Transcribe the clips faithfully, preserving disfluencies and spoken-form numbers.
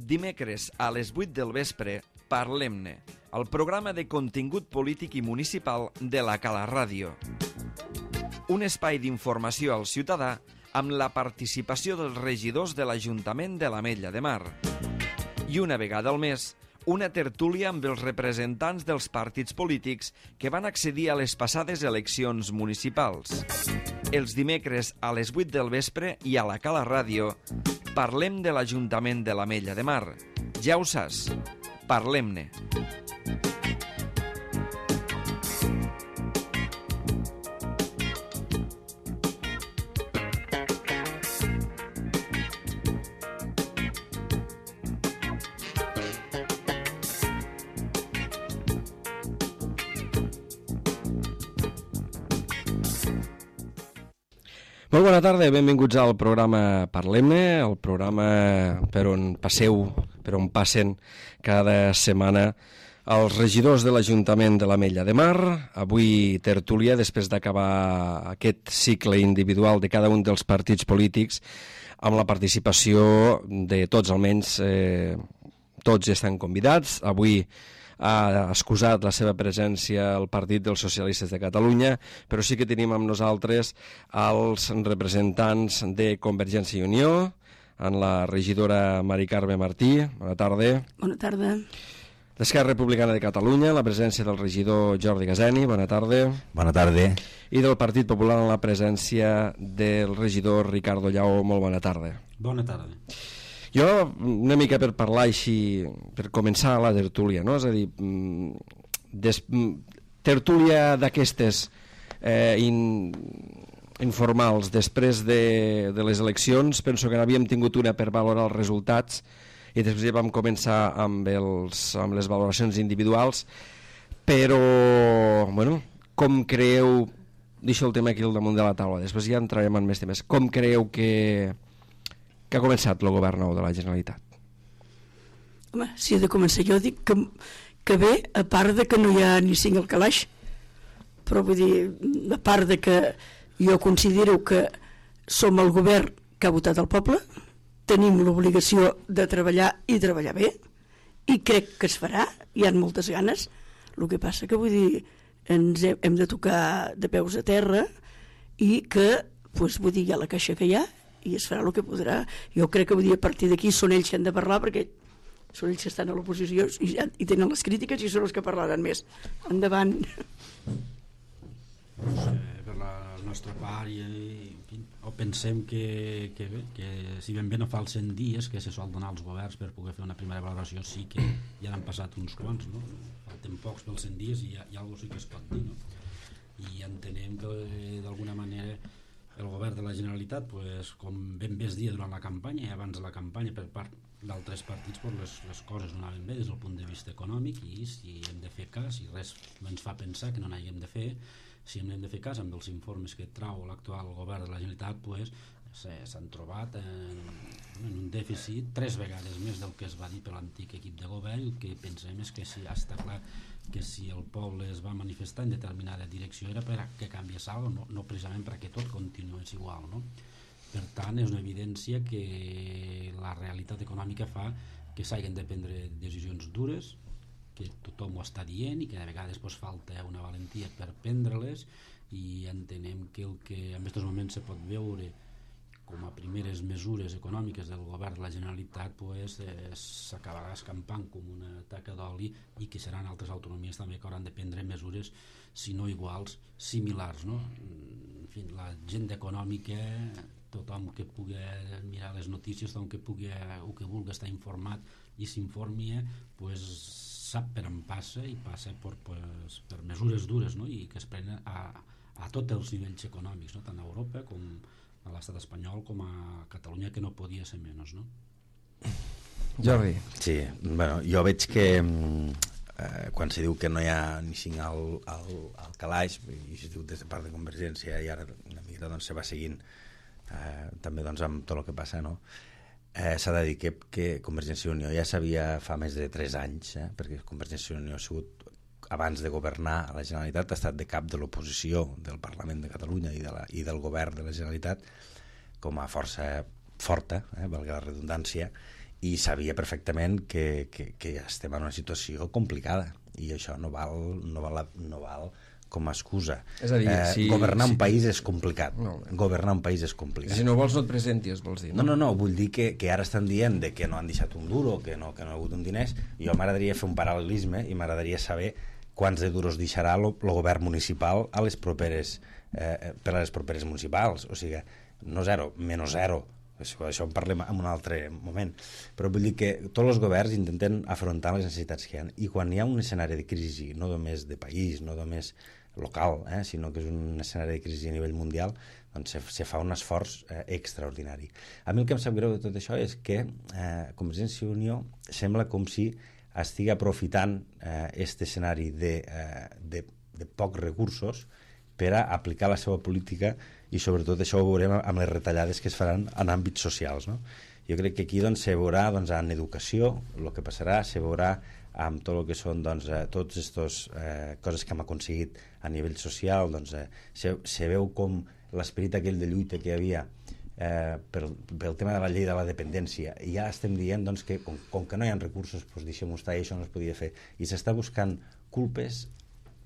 dimecres a les vuit del vespre, Parlem-ne, el programa de contingut polític i municipal de la Cala Ràdio. Un espai d'informació al ciutadà amb la participació dels regidors de l'Ajuntament de l'Ametlla de Mar. I una vegada al mes, una tertúlia amb els representants dels partits polítics que van accedir a les passades eleccions municipals. Els dimecres a les vuit del vespre i a la Cala Ràdio parlem de l'Ajuntament de l'Ametlla de Mar. Ja ho saps, parlem-ne. Molt bona tarda, benvinguts al programa Parlem-ne, el programa per on passeu, per on passen cada setmana els regidors de l'Ajuntament de l'Ametlla de Mar. Avui tertúlia, després d'acabar aquest cicle individual de cada un dels partits polítics, amb la participació de tots, almenys eh, tots estan convidats. Avui ha excusat la seva presència al Partit dels Socialistes de Catalunya, però sí que tenim amb nosaltres els representants de Convergència i Unió, en la regidora Mari Carme Martí. Bona tarda. Bona tarda. D'Esquerra Republicana de Catalunya, la presència del regidor Jordi Gaseni. Bona tarda. Bona tarda. I del Partit Popular, en la presència del regidor Ricardo Lleó. Molt bona tarda. Bona tarda. Jo, una mica per parlar així, per començar la tertúlia, no? És a dir, des, tertúlia d'aquestes eh, in, informals després de, de les eleccions, penso que n'havíem tingut una per valorar els resultats i després ja vam començar amb, els, amb les valoracions individuals, però, bueno, com creieu, deixo el tema aquí al damunt de la taula, després ja entrarem en més temes, com creieu que que ha començat el govern nou de la Generalitat? Home, si he de començar jo dic que, que bé, a part de que no hi ha ni cinc al calaix, però vull dir, a part de que jo considero que som el govern que ha votat el poble, tenim l'obligació de treballar i treballar bé, i crec que es farà, hi ha moltes ganes. El que passa que vull dir, ens hem, hem de tocar de peus a terra i que, doncs, vull dir, hi ha la caixa que hi ha i es farà el que podrà. Jo crec que vull dir, a partir d'aquí són ells que han de parlar, perquè són ells que estan a l'oposició i, ja, i tenen les crítiques i són els que parlaran més. Endavant. Pues, eh, per la nostra part i, en fi, o pensem que, que, bé, que si ben bé no fa els cent dies que se sol donar als governs per poder fer una primera valoració, sí que ja n'han passat uns quants, no? Falten pocs pels cent dies i hi ha, hi ha alguna cosa sí que es pot dir, no? I entenem que d'alguna manera el govern de la Generalitat, pues, com ben bé es dia durant la campanya i abans de la campanya per part d'altres partits, pues, les, les coses no anaven bé des del punt de vista econòmic, i si hem de fer cas, i res ens fa pensar que no n'haguem de fer, si hem de fer cas amb els informes que trau l'actual govern de la Generalitat, pues, s'han trobat en, en un dèficit tres vegades més del que es va dir per l'antic equip de govern. El que pensem és que si està clar que si el poble es va manifestar en determinada direcció era per que canviés alguna cosa, no, no precisament perquè tot continués igual, no? Per tant, és una evidència que la realitat econòmica fa que s'hagin de prendre decisions dures, que tothom ho està dient i que de vegades pues, falta una valentia per prendre-les, i entenem que el que en aquests moments se pot veure com a primeres mesures econòmiques del govern de la Generalitat, pues, eh, s'acabarà escampant com una taca d'oli, i que seran altres autonomies també que hauran de prendre mesures, si no iguals, similars, no? En fi, la gent econòmica, tothom que pugui mirar les notícies, tothom que pugui o que vulgui estar informat i s'informi, pues, sap per on passa, i passa per, pues, per mesures dures, no? I que es prenen a, a tots els nivells econòmics, no? Tant a Europa com a l'estat espanyol com a Catalunya, que no podia ser menys, no? Jordi. Sí, bueno, jo veig que eh, quan se diu que no hi ha ni cinc al, al, al calaix, i es diu des de part de Convergència, i ara una mica doncs, se va seguint eh, també doncs, amb tot el que passa, no? Eh, s'ha de dir que, que Convergència i Unió ja sabia fa més de tres anys, eh, perquè Convergència i Unió ha sigut, abans de governar a la Generalitat, ha estat de cap de l'oposició del Parlament de Catalunya i, de la, i del govern de la Generalitat com a força forta, eh, valgui la redundància, i sabia perfectament que, que, que estem en una situació complicada i això no val, no val, no val com a excusa. És a dir, eh, si, governar si... un país és complicat. No, governar un país és complicat. Si no vols no et presentis, vols dir. No, no, no, vull dir que, que ara estan dient de que no han deixat un duro, que no, que no ha hagut un diners. Jo m'agradaria fer un paral·lelisme i m'agradaria saber quants de duros deixarà el govern municipal a les properes, eh, per a les properes municipals. O sigui, no zero, menys zero. Això, això en parlem en un altre moment. Però vull dir que tots els governs intenten afrontar les necessitats que hi ha. I quan hi ha un escenari de crisi, no només de país, no només local, eh, sinó que és un escenari de crisi a nivell mundial, doncs se, se fa un esforç eh, extraordinari. A mi el que em sap greu de tot això és que eh, Convergència i Unió sembla com si estigui aprofitant aquest eh, escenari de, eh, de, de pocs recursos per a aplicar la seva política i sobretot això ho veurem amb les retallades que es faran en àmbits socials, no? Jo crec que aquí doncs, se veurà doncs, en educació el que passarà, se veurà amb tot el que són doncs, eh, tots aquestes eh, coses que hem aconseguit a nivell social, doncs, eh, se, se veu com l'esperit aquell de lluita que hi havia eh, pel, pel tema de la llei de la dependència, i ja estem dient doncs, que com, com que no hi ha recursos, doncs, deixem-ho estar, i això no es podia fer, i s'està buscant culpes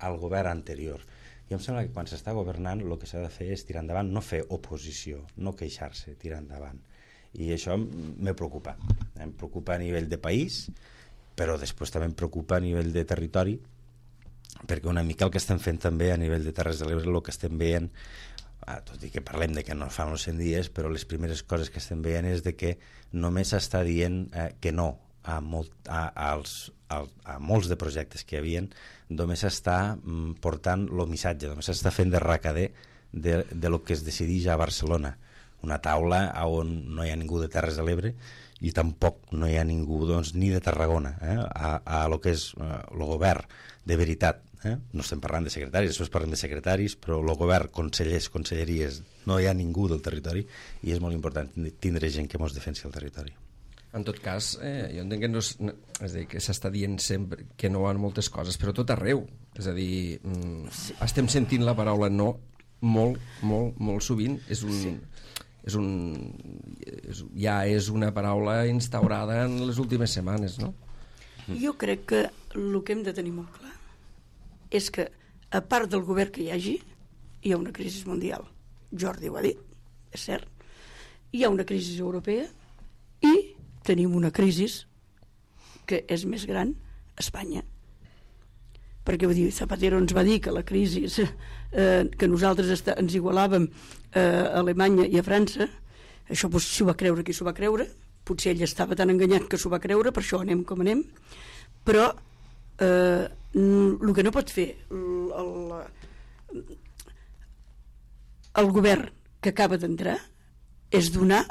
al govern anterior. I em sembla que quan s'està governant el que s'ha de fer és tirar endavant, no fer oposició, no queixar-se, tirar endavant. I això me preocupa. Em preocupa a nivell de país, però després també em preocupa a nivell de territori, perquè una mica el que estem fent també a nivell de Terres de l'Ebre, el que estem veient, tot i que parlem de que no fan els cent dies, però les primeres coses que estem veient és de que només s'està dient eh, que no a, molt, a, als, a, a molts de projectes que hi havia, només s'està mm, portant el missatge, només s'està fent de recader de, de lo que es decideix a Barcelona, una taula on no hi ha ningú de Terres de l'Ebre i tampoc no hi ha ningú doncs, ni de Tarragona, eh, a, a lo que és eh, el govern de veritat. Eh? No estem parlant de secretaris, després parlem de secretaris, però el govern, consellers, conselleries, no hi ha ningú del territori i és molt important tindre gent que mos defensi el territori. En tot cas, eh, jo entenc que no és, no, és a dir, que s'està dient sempre que no en moltes coses, però tot arreu. És a dir, mm, sí. estem sentint la paraula no molt, molt, molt sovint. És un, sí. és un, és, ja és una paraula instaurada en les últimes setmanes, no? Jo crec que el que hem de tenir molt clar és que, a part del govern que hi hagi, hi ha una crisi mundial. Jordi ho ha dit, és cert. Hi ha una crisi europea i tenim una crisi que és més gran a Espanya. Perquè vull dir, Zapatero ens va dir que la crisi eh, que nosaltres està, ens igualàvem eh, a Alemanya i a França, això doncs, s'ho va creure qui s'ho va creure, potser ell estava tan enganyat que s'ho va creure, per això anem com anem, però eh, el que no pot fer el, el, el govern que acaba d'entrar és donar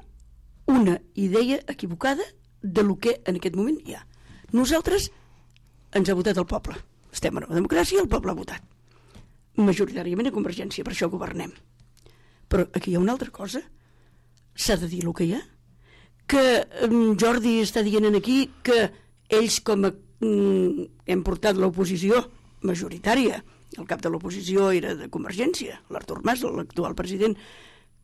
una idea equivocada de lo que en aquest moment hi ha. Nosaltres ens ha votat el poble. Estem en una democràcia i el poble ha votat. Majoritàriament a Convergència, per això governem. Però aquí hi ha una altra cosa. S'ha de dir el que hi ha. Que um, Jordi està dient aquí que ells com a, um, hem portat l'oposició majoritària, el cap de l'oposició era de Convergència, l'Artur Mas, l'actual president,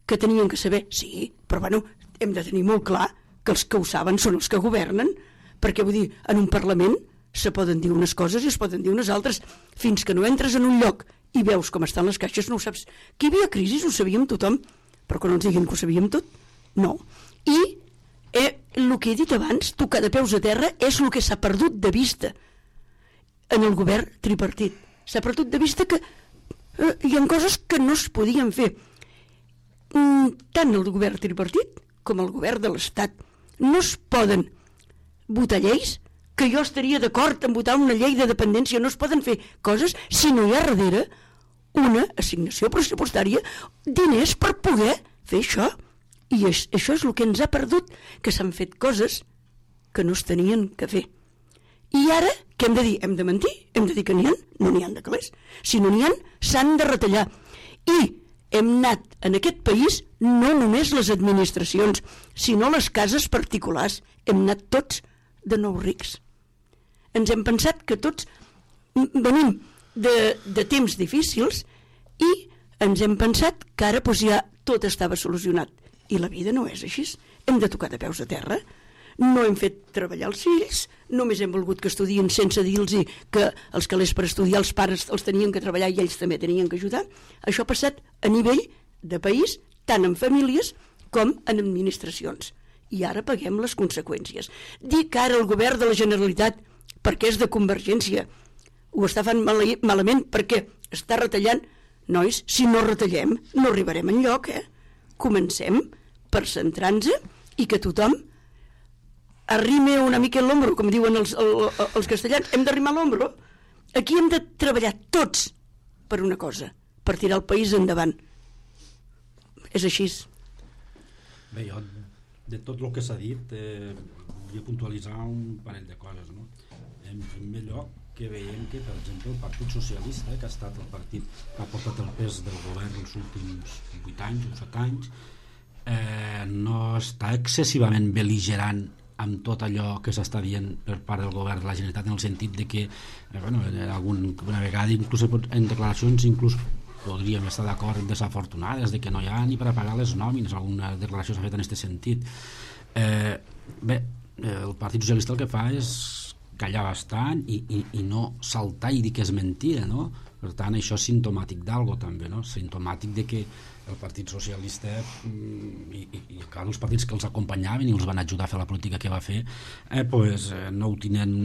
que tenien que saber, sí, però bueno, hem de tenir molt clar que els que ho saben són els que governen, perquè vull dir, en un Parlament se poden dir unes coses i es poden dir unes altres, fins que no entres en un lloc i veus com estan les caixes no ho saps. Que hi havia crisi ho sabíem tothom, però que no ens diguin que ho sabíem tot, no. I eh, el que he dit abans, tocar de peus a terra, és el que s'ha perdut de vista en el govern tripartit. S'ha perdut de vista que eh, hi ha coses que no es podien fer. Tant el govern tripartit com el govern de l'Estat no es poden votar lleis, que jo estaria d'acord en votar una llei de dependència, no es poden fer coses si no hi ha darrere una assignació pressupostària, diners per poder fer això. I és, això és el que ens ha perdut, que s'han fet coses que no es tenien que fer. I ara, què hem de dir? Hem de mentir? Hem de dir que n'hi ha? No n'hi ha de calés. Si no n'hi ha, s'han de retallar. I hem anat en aquest país no només les administracions, sinó les cases particulars. Hem anat tots de nous rics. Ens hem pensat que tots venim de, de temps difícils i ens hem pensat que ara doncs, ja tot estava solucionat. I la vida no és així. Hem de tocar de peus a terra. no hem fet treballar els fills, només hem volgut que estudien sense dir-los que els calés per estudiar els pares els tenien que treballar i ells també tenien que ajudar. Això ha passat a nivell de país, tant en famílies com en administracions. I ara paguem les conseqüències. Dir que ara el govern de la Generalitat, perquè és de Convergència, ho està fent malament perquè està retallant. Nois, si no retallem, no arribarem enlloc, eh? Comencem per centrar-nos i que tothom arrime una mica l'ombro, com diuen els, els, els castellans. Hem d'arrimar l'ombro. Aquí hem de treballar tots per una cosa, per tirar el país endavant. És així. Bé, jo, de tot el que s'ha dit, eh, volia puntualitzar un parell de coses, no? En primer lloc, que veiem que, per exemple, el Partit Socialista, eh, que ha estat el partit que ha portat el pes del govern els últims vuit anys o set anys, eh, no està excessivament bel·ligerant amb tot allò que s'està dient per part del govern de la Generalitat, en el sentit de que, eh, bueno, algun, una vegada, inclús en declaracions, inclús podríem estar d'acord desafortunades, de que no hi ha ni per a pagar les nòmines, alguna declaració s'ha fet en aquest sentit. Eh, bé, el Partit Socialista el que fa és callar bastant i, i, i no saltar i dir que és mentida, no? Per tant, això és simptomàtic d'algo també, no? Simptomàtic de que el Partit Socialista i, i, i els partits que els acompanyaven i els van ajudar a fer la política que va fer, eh, pues, eh, no ho tenen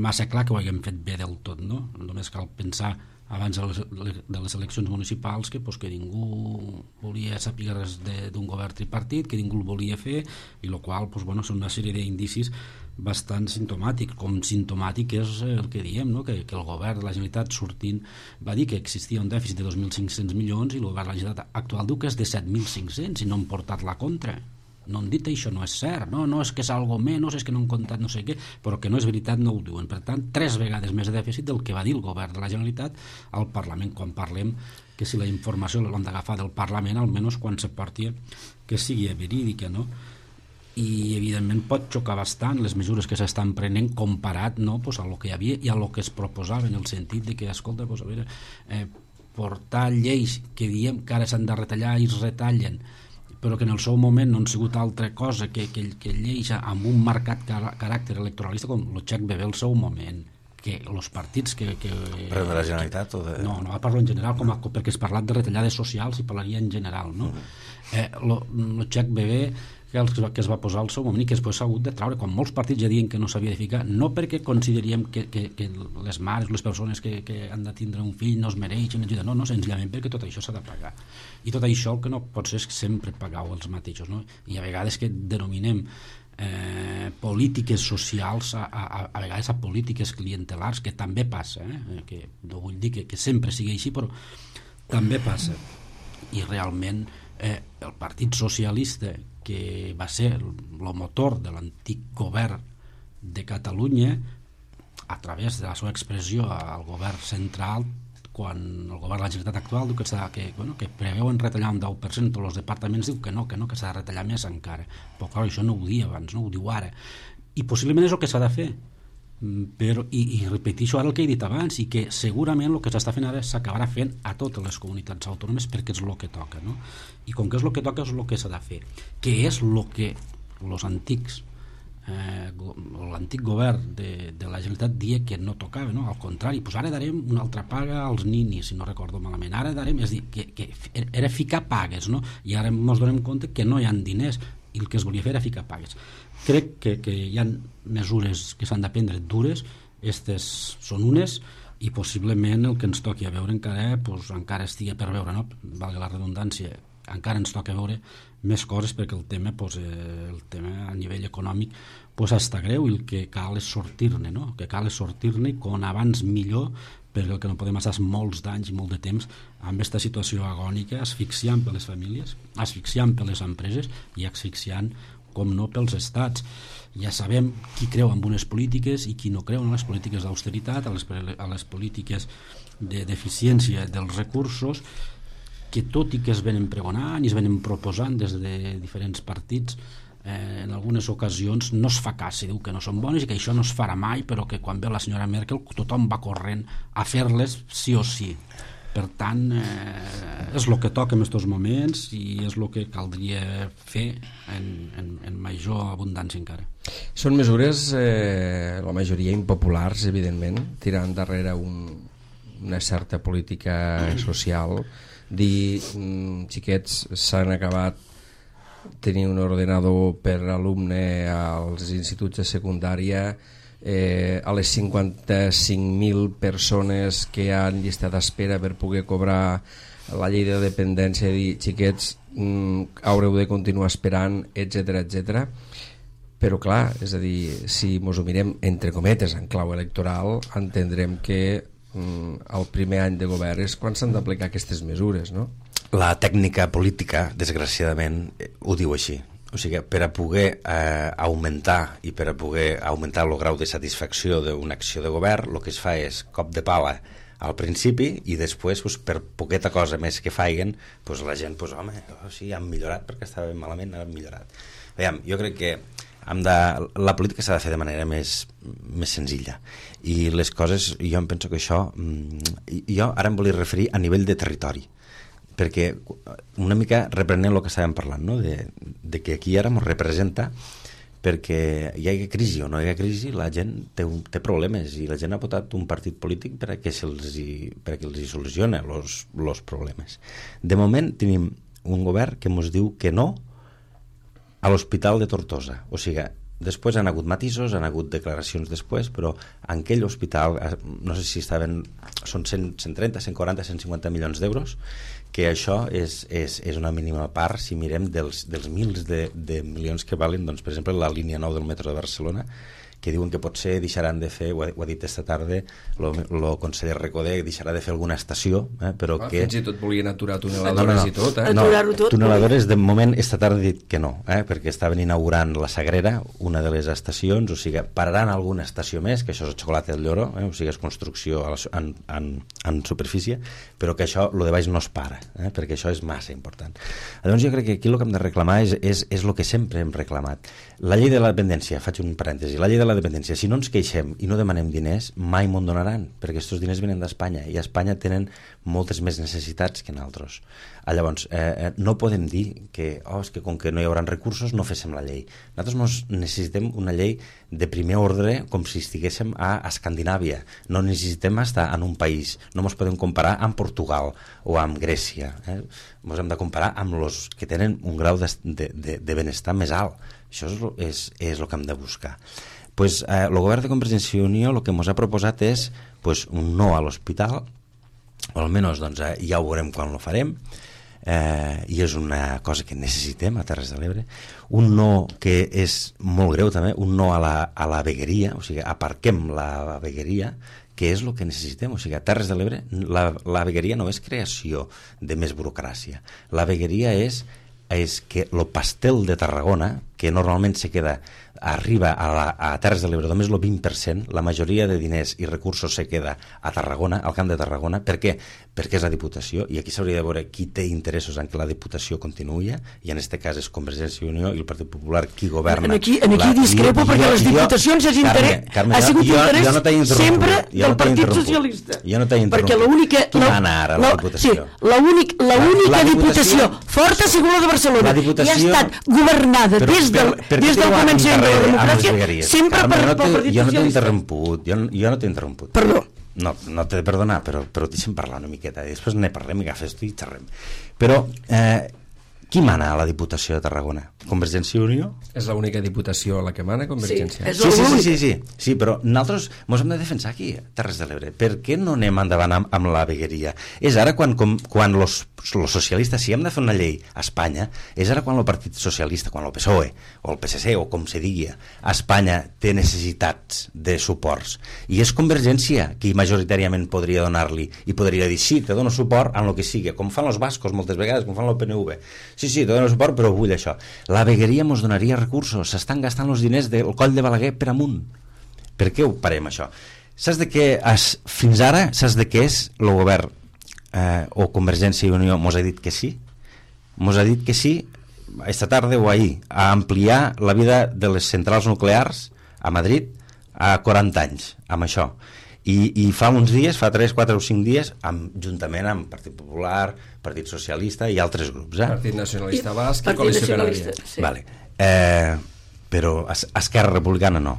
massa clar que ho haguem fet bé del tot, no? Només cal pensar abans de les, de les eleccions municipals que, pues, que ningú volia saber res d'un govern tripartit, que ningú el volia fer, i el qual, pues, bueno, són una sèrie d'indicis bastant simptomàtic, com simptomàtic és el que diem, no? que, que el govern de la Generalitat sortint va dir que existia un dèficit de dos mil cinc-cents milions i el govern de la Generalitat actual diu que és de set mil cinc-cents i no han portat la contra. No han dit això, no és cert, no, no és que és algo menys, és que no han comptat no sé què, però que no és veritat no ho diuen. Per tant, tres vegades més de dèficit del que va dir el govern de la Generalitat al Parlament, quan parlem que si la informació l'hem d'agafar del Parlament, almenys quan se porti que sigui verídica, no? I evidentment pot xocar bastant les mesures que s'estan prenent comparat, no, pues, a lo que hi havia i a lo que es proposava, en el sentit de que, escolta, pues, a veure, eh, portar lleis que diem que ara s'han de retallar i es retallen, però que en el seu moment no han sigut altra cosa que, que, que lleis amb un marcat car caràcter electoralista com el Check Bebé al seu moment, que els partits que... que però de la Generalitat o de... No, no, parlo en general, com a, perquè has parlat de retallades socials i parlaria en general, no? Mm. Eh, el Check Bebé que, el, que es va posar al seu moment i que després s'ha hagut de traure, quan molts partits ja diuen que no s'havia de ficar, no perquè consideríem que, que, que les mares, les persones que, que han de tindre un fill no es mereixen ajuda, no, no, senzillament perquè tot això s'ha de pagar. I tot això el que no pot ser és que sempre pagueu els mateixos, no? I a vegades que denominem eh, polítiques socials a, a, a vegades a polítiques clientelars, que també passa, eh? Que no vull dir que, que sempre sigui així, però també passa. I realment eh, el Partit Socialista, que va ser el motor de l'antic govern de Catalunya, a través de la seva expressió al govern central, quan el govern de la Generalitat actual diu que, que, bueno, que preveuen retallar un deu per cent, tots els departaments diu que no, que no, que s'ha de retallar més encara. Però clar, això no ho dia abans, no ho diu ara. I possiblement és el que s'ha de fer. Però, i, i repeteixo ara el que he dit abans, i que segurament el que s'està fent ara s'acabarà fent a totes les comunitats autònomes perquè és el que toca, no? I com que és el que toca és el que s'ha de fer, que és el que els antics eh, l'antic govern de, de la Generalitat dia que no tocava, no? Al contrari, pues ara darem una altra paga als ninis, si no recordo malament, ara darem, és dir, que, que era ficar pagues, no? I ara ens donem compte que no hi ha diners i el que es volia fer era ficar pagues. Crec que, que hi ha mesures que s'han de prendre dures, aquestes són unes, i possiblement el que ens toqui a veure encara, pues, encara estigui per veure, no? Valga la redundància, encara ens toca veure més coses perquè el tema, pues, eh, el tema a nivell econòmic pues, està greu i el que cal és sortir-ne, no? El que cal és sortir-ne com abans millor, perquè el que no podem passar és molts d'anys i molt de temps amb aquesta situació agònica, asfixiant per les famílies, asfixiant per les empreses i asfixiant, com no, pels estats. Ja sabem qui creu en unes polítiques i qui no creu en les polítiques d'austeritat, a les, a les polítiques de deficiència dels recursos, que tot i que es venen pregonant i es venen proposant des de diferents partits, eh, en algunes ocasions no es fa cas, se diu que no són bones i que això no es farà mai, però que quan ve la senyora Merkel tothom va corrent a fer-les sí o sí. Per tant, eh, és el que toca en aquests moments i és el que caldria fer en, en, en major abundància encara. Són mesures, eh, la majoria impopulars, evidentment, tirant darrere un, una certa política social, dir, mm, xiquets, s'han acabat tenir un ordenador per alumne als instituts de secundària, eh, a les cinquanta-cinc mil persones que han llistat d'espera per poder cobrar la llei de dependència, dir, xiquets, mm, haureu de continuar esperant, etcètera, etcètera. Però clar, és a dir, si mos ho mirem entre cometes en clau electoral, entendrem que mm, el primer any de govern és quan s'han d'aplicar aquestes mesures, no? La tècnica política, desgraciadament, ho diu així. O sigui, per a poder eh, augmentar i per a poder augmentar el grau de satisfacció d'una acció de govern, el que es fa és cop de pala al principi i després, pues, per poqueta cosa més que faiguen, pues, la gent, pues, home, oh, sí, han millorat perquè estava malament, han millorat. Veiem, jo crec que hem de, la política s'ha de fer de manera més, més senzilla i les coses, jo em penso que això, jo ara em volia referir a nivell de territori, perquè una mica reprenent el que estàvem parlant, no? de, de que aquí ara ens representa perquè hi hagi crisi o no hi hagi crisi, la gent té, un, té problemes i la gent ha votat un partit polític per a que se'ls hi, per a que els hi solucione els problemes. De moment tenim un govern que ens diu que no a l'hospital de Tortosa, o sigui, després han hagut matisos, han hagut declaracions després, però en aquell hospital, no sé si estaven, són cent, cent trenta, cent quaranta, cent cinquanta milions d'euros, que això és, és, és una mínima part si mirem dels, dels mils de, de milions que valen, doncs, per exemple, la línia nou del metro de Barcelona, que diuen que potser deixaran de fer, ho ha, ho ha dit esta tarda el conseller Recoder, deixarà de fer alguna estació, eh, però ah, que... Fins i tot volien aturar tuneladores no, no, no. i tot, eh? No, tot, tuneladores de moment esta tarda he dit que no, eh, perquè estaven inaugurant la Sagrera, una de les estacions, o sigui, pararan alguna estació més, que això és el xocolate del Lloro, eh, o sigui, és construcció a la, en, en, en superfície, però que això, lo de baix no es para, eh, perquè això és massa important. Llavors jo crec que aquí el que hem de reclamar és, és, és el que sempre hem reclamat. La llei de la dependència, faig un parèntesi, la llei de la dependència, si no ens queixem i no demanem diners, mai m'ho donaran, perquè aquests diners venen d'Espanya i a Espanya tenen moltes més necessitats que nosaltres. Llavors, eh, no podem dir que, oh, és que com que no hi haurà recursos no féssim la llei. Nosaltres necessitem una llei de primer ordre com si estiguéssim a Escandinàvia. No necessitem estar en un país, no ens podem comparar amb Portugal o amb Grècia. Eh? Ens hem de comparar amb els que tenen un grau de, de, de, de benestar més alt. Això és, és, és el que hem de buscar. Pues, eh, el govern de Convergència i Unió el que ens ha proposat és pues, un no a l'hospital, o almenys doncs, eh, ja ho veurem quan ho farem, eh, i és una cosa que necessitem a Terres de l'Ebre, un no que és molt greu també, un no a la, a la vegueria, o sigui, aparquem la vegueria, que és el que necessitem, o sigui, a Terres de l'Ebre la, la vegueria no és creació de més burocràcia, la vegueria és és que el pastel de Tarragona, que normalment se queda, arriba a, la, a Terres de l'Ebre només el vint per cent, la majoria de diners i recursos se queda a Tarragona, al Camp de Tarragona. Per què? Perquè és la Diputació, i aquí s'hauria de veure qui té interessos en que la Diputació continuï, i en aquest cas és Convergència i Unió i el Partit Popular qui governa. En aquí, en aquí la, discrepo jo, perquè jo, les Diputacions jo, és interès, Carme, Carme, ha sigut jo, interès jo no sempre jo del no Partit Socialista. Jo no t'he interromput. Perquè l'única... Qui mana ara la Diputació? Sí, l'única Diputació forta ha sigut la de Barcelona, i ha estat governada des del començament de la democràcia sempre per pel Partit Jo no t'he interromput, jo no t'he interromput. Perdó. No, no t'he de perdonar, però, però deixa'm parlar una miqueta i després ne parlem i agafes tu i xerrem. Però eh, qui mana a la Diputació de Tarragona? Convergència i Unió? És l'única diputació a la que mana Convergència. Sí, sí, sí, sí, sí, sí, sí, però nosaltres ens hem de defensar aquí, a Terres de l'Ebre. Per què no anem endavant amb, amb la vegueria? És ara quan, com, quan los, los socialistes, si hem de fer una llei a Espanya, és ara quan el Partit Socialista, quan el P S O E, o el P S C, o com se digui, a Espanya té necessitats de suports. I és Convergència qui majoritàriament podria donar-li, i podria dir, sí, te dono suport en el que sigui, com fan els bascos moltes vegades, com fan el P N V. Sí, sí, te dono suport, però vull això. La vegueria ens donaria recursos, s'estan gastant els diners del coll de Balaguer per amunt. Per què ho parem, això? Saps de què, es, fins ara, saps de què és el govern eh, o Convergència i Unió mos ha dit que sí? Mos ha dit que sí, esta tarda o ahir, a ampliar la vida de les centrals nuclears a Madrid a quaranta anys, amb això. I, i fa uns dies, fa tres, quatre o cinc dies, amb, juntament amb Partit Popular, Partit Socialista i altres grups. Eh? Partit Nacionalista Basc i Partit Coalició Nacionalista, Canària. sí. Vale. Eh, però es, Esquerra Republicana no.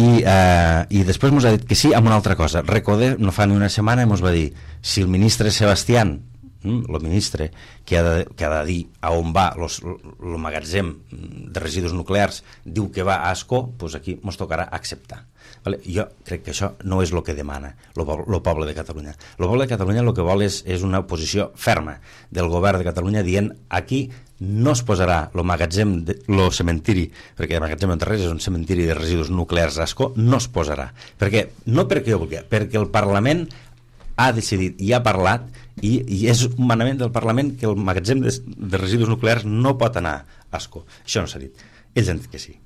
I, eh, i després ens ha dit que sí amb una altra cosa. Recordeu, no fa ni una setmana ens va dir, si el ministre Sebastián, el ministre que ha, de, que ha de dir a on va el magatzem de residus nuclears, diu que va a Ascó, doncs aquí ens tocarà acceptar. Vale? Jo crec que això no és el que demana el poble de Catalunya. El poble de Catalunya el que vol és, és una posició ferma del govern de Catalunya dient aquí no es posarà el magatzem, el cementiri, perquè el magatzem de res és un cementiri de residus nuclears a Ascó, no es posarà. Perquè, no perquè jo vulgui, perquè el Parlament ha decidit i ha parlat i, i és un manament del Parlament que el magatzem de, de residus nuclears no pot anar a Ascó. Això no s'ha dit. Ells han dit que sí.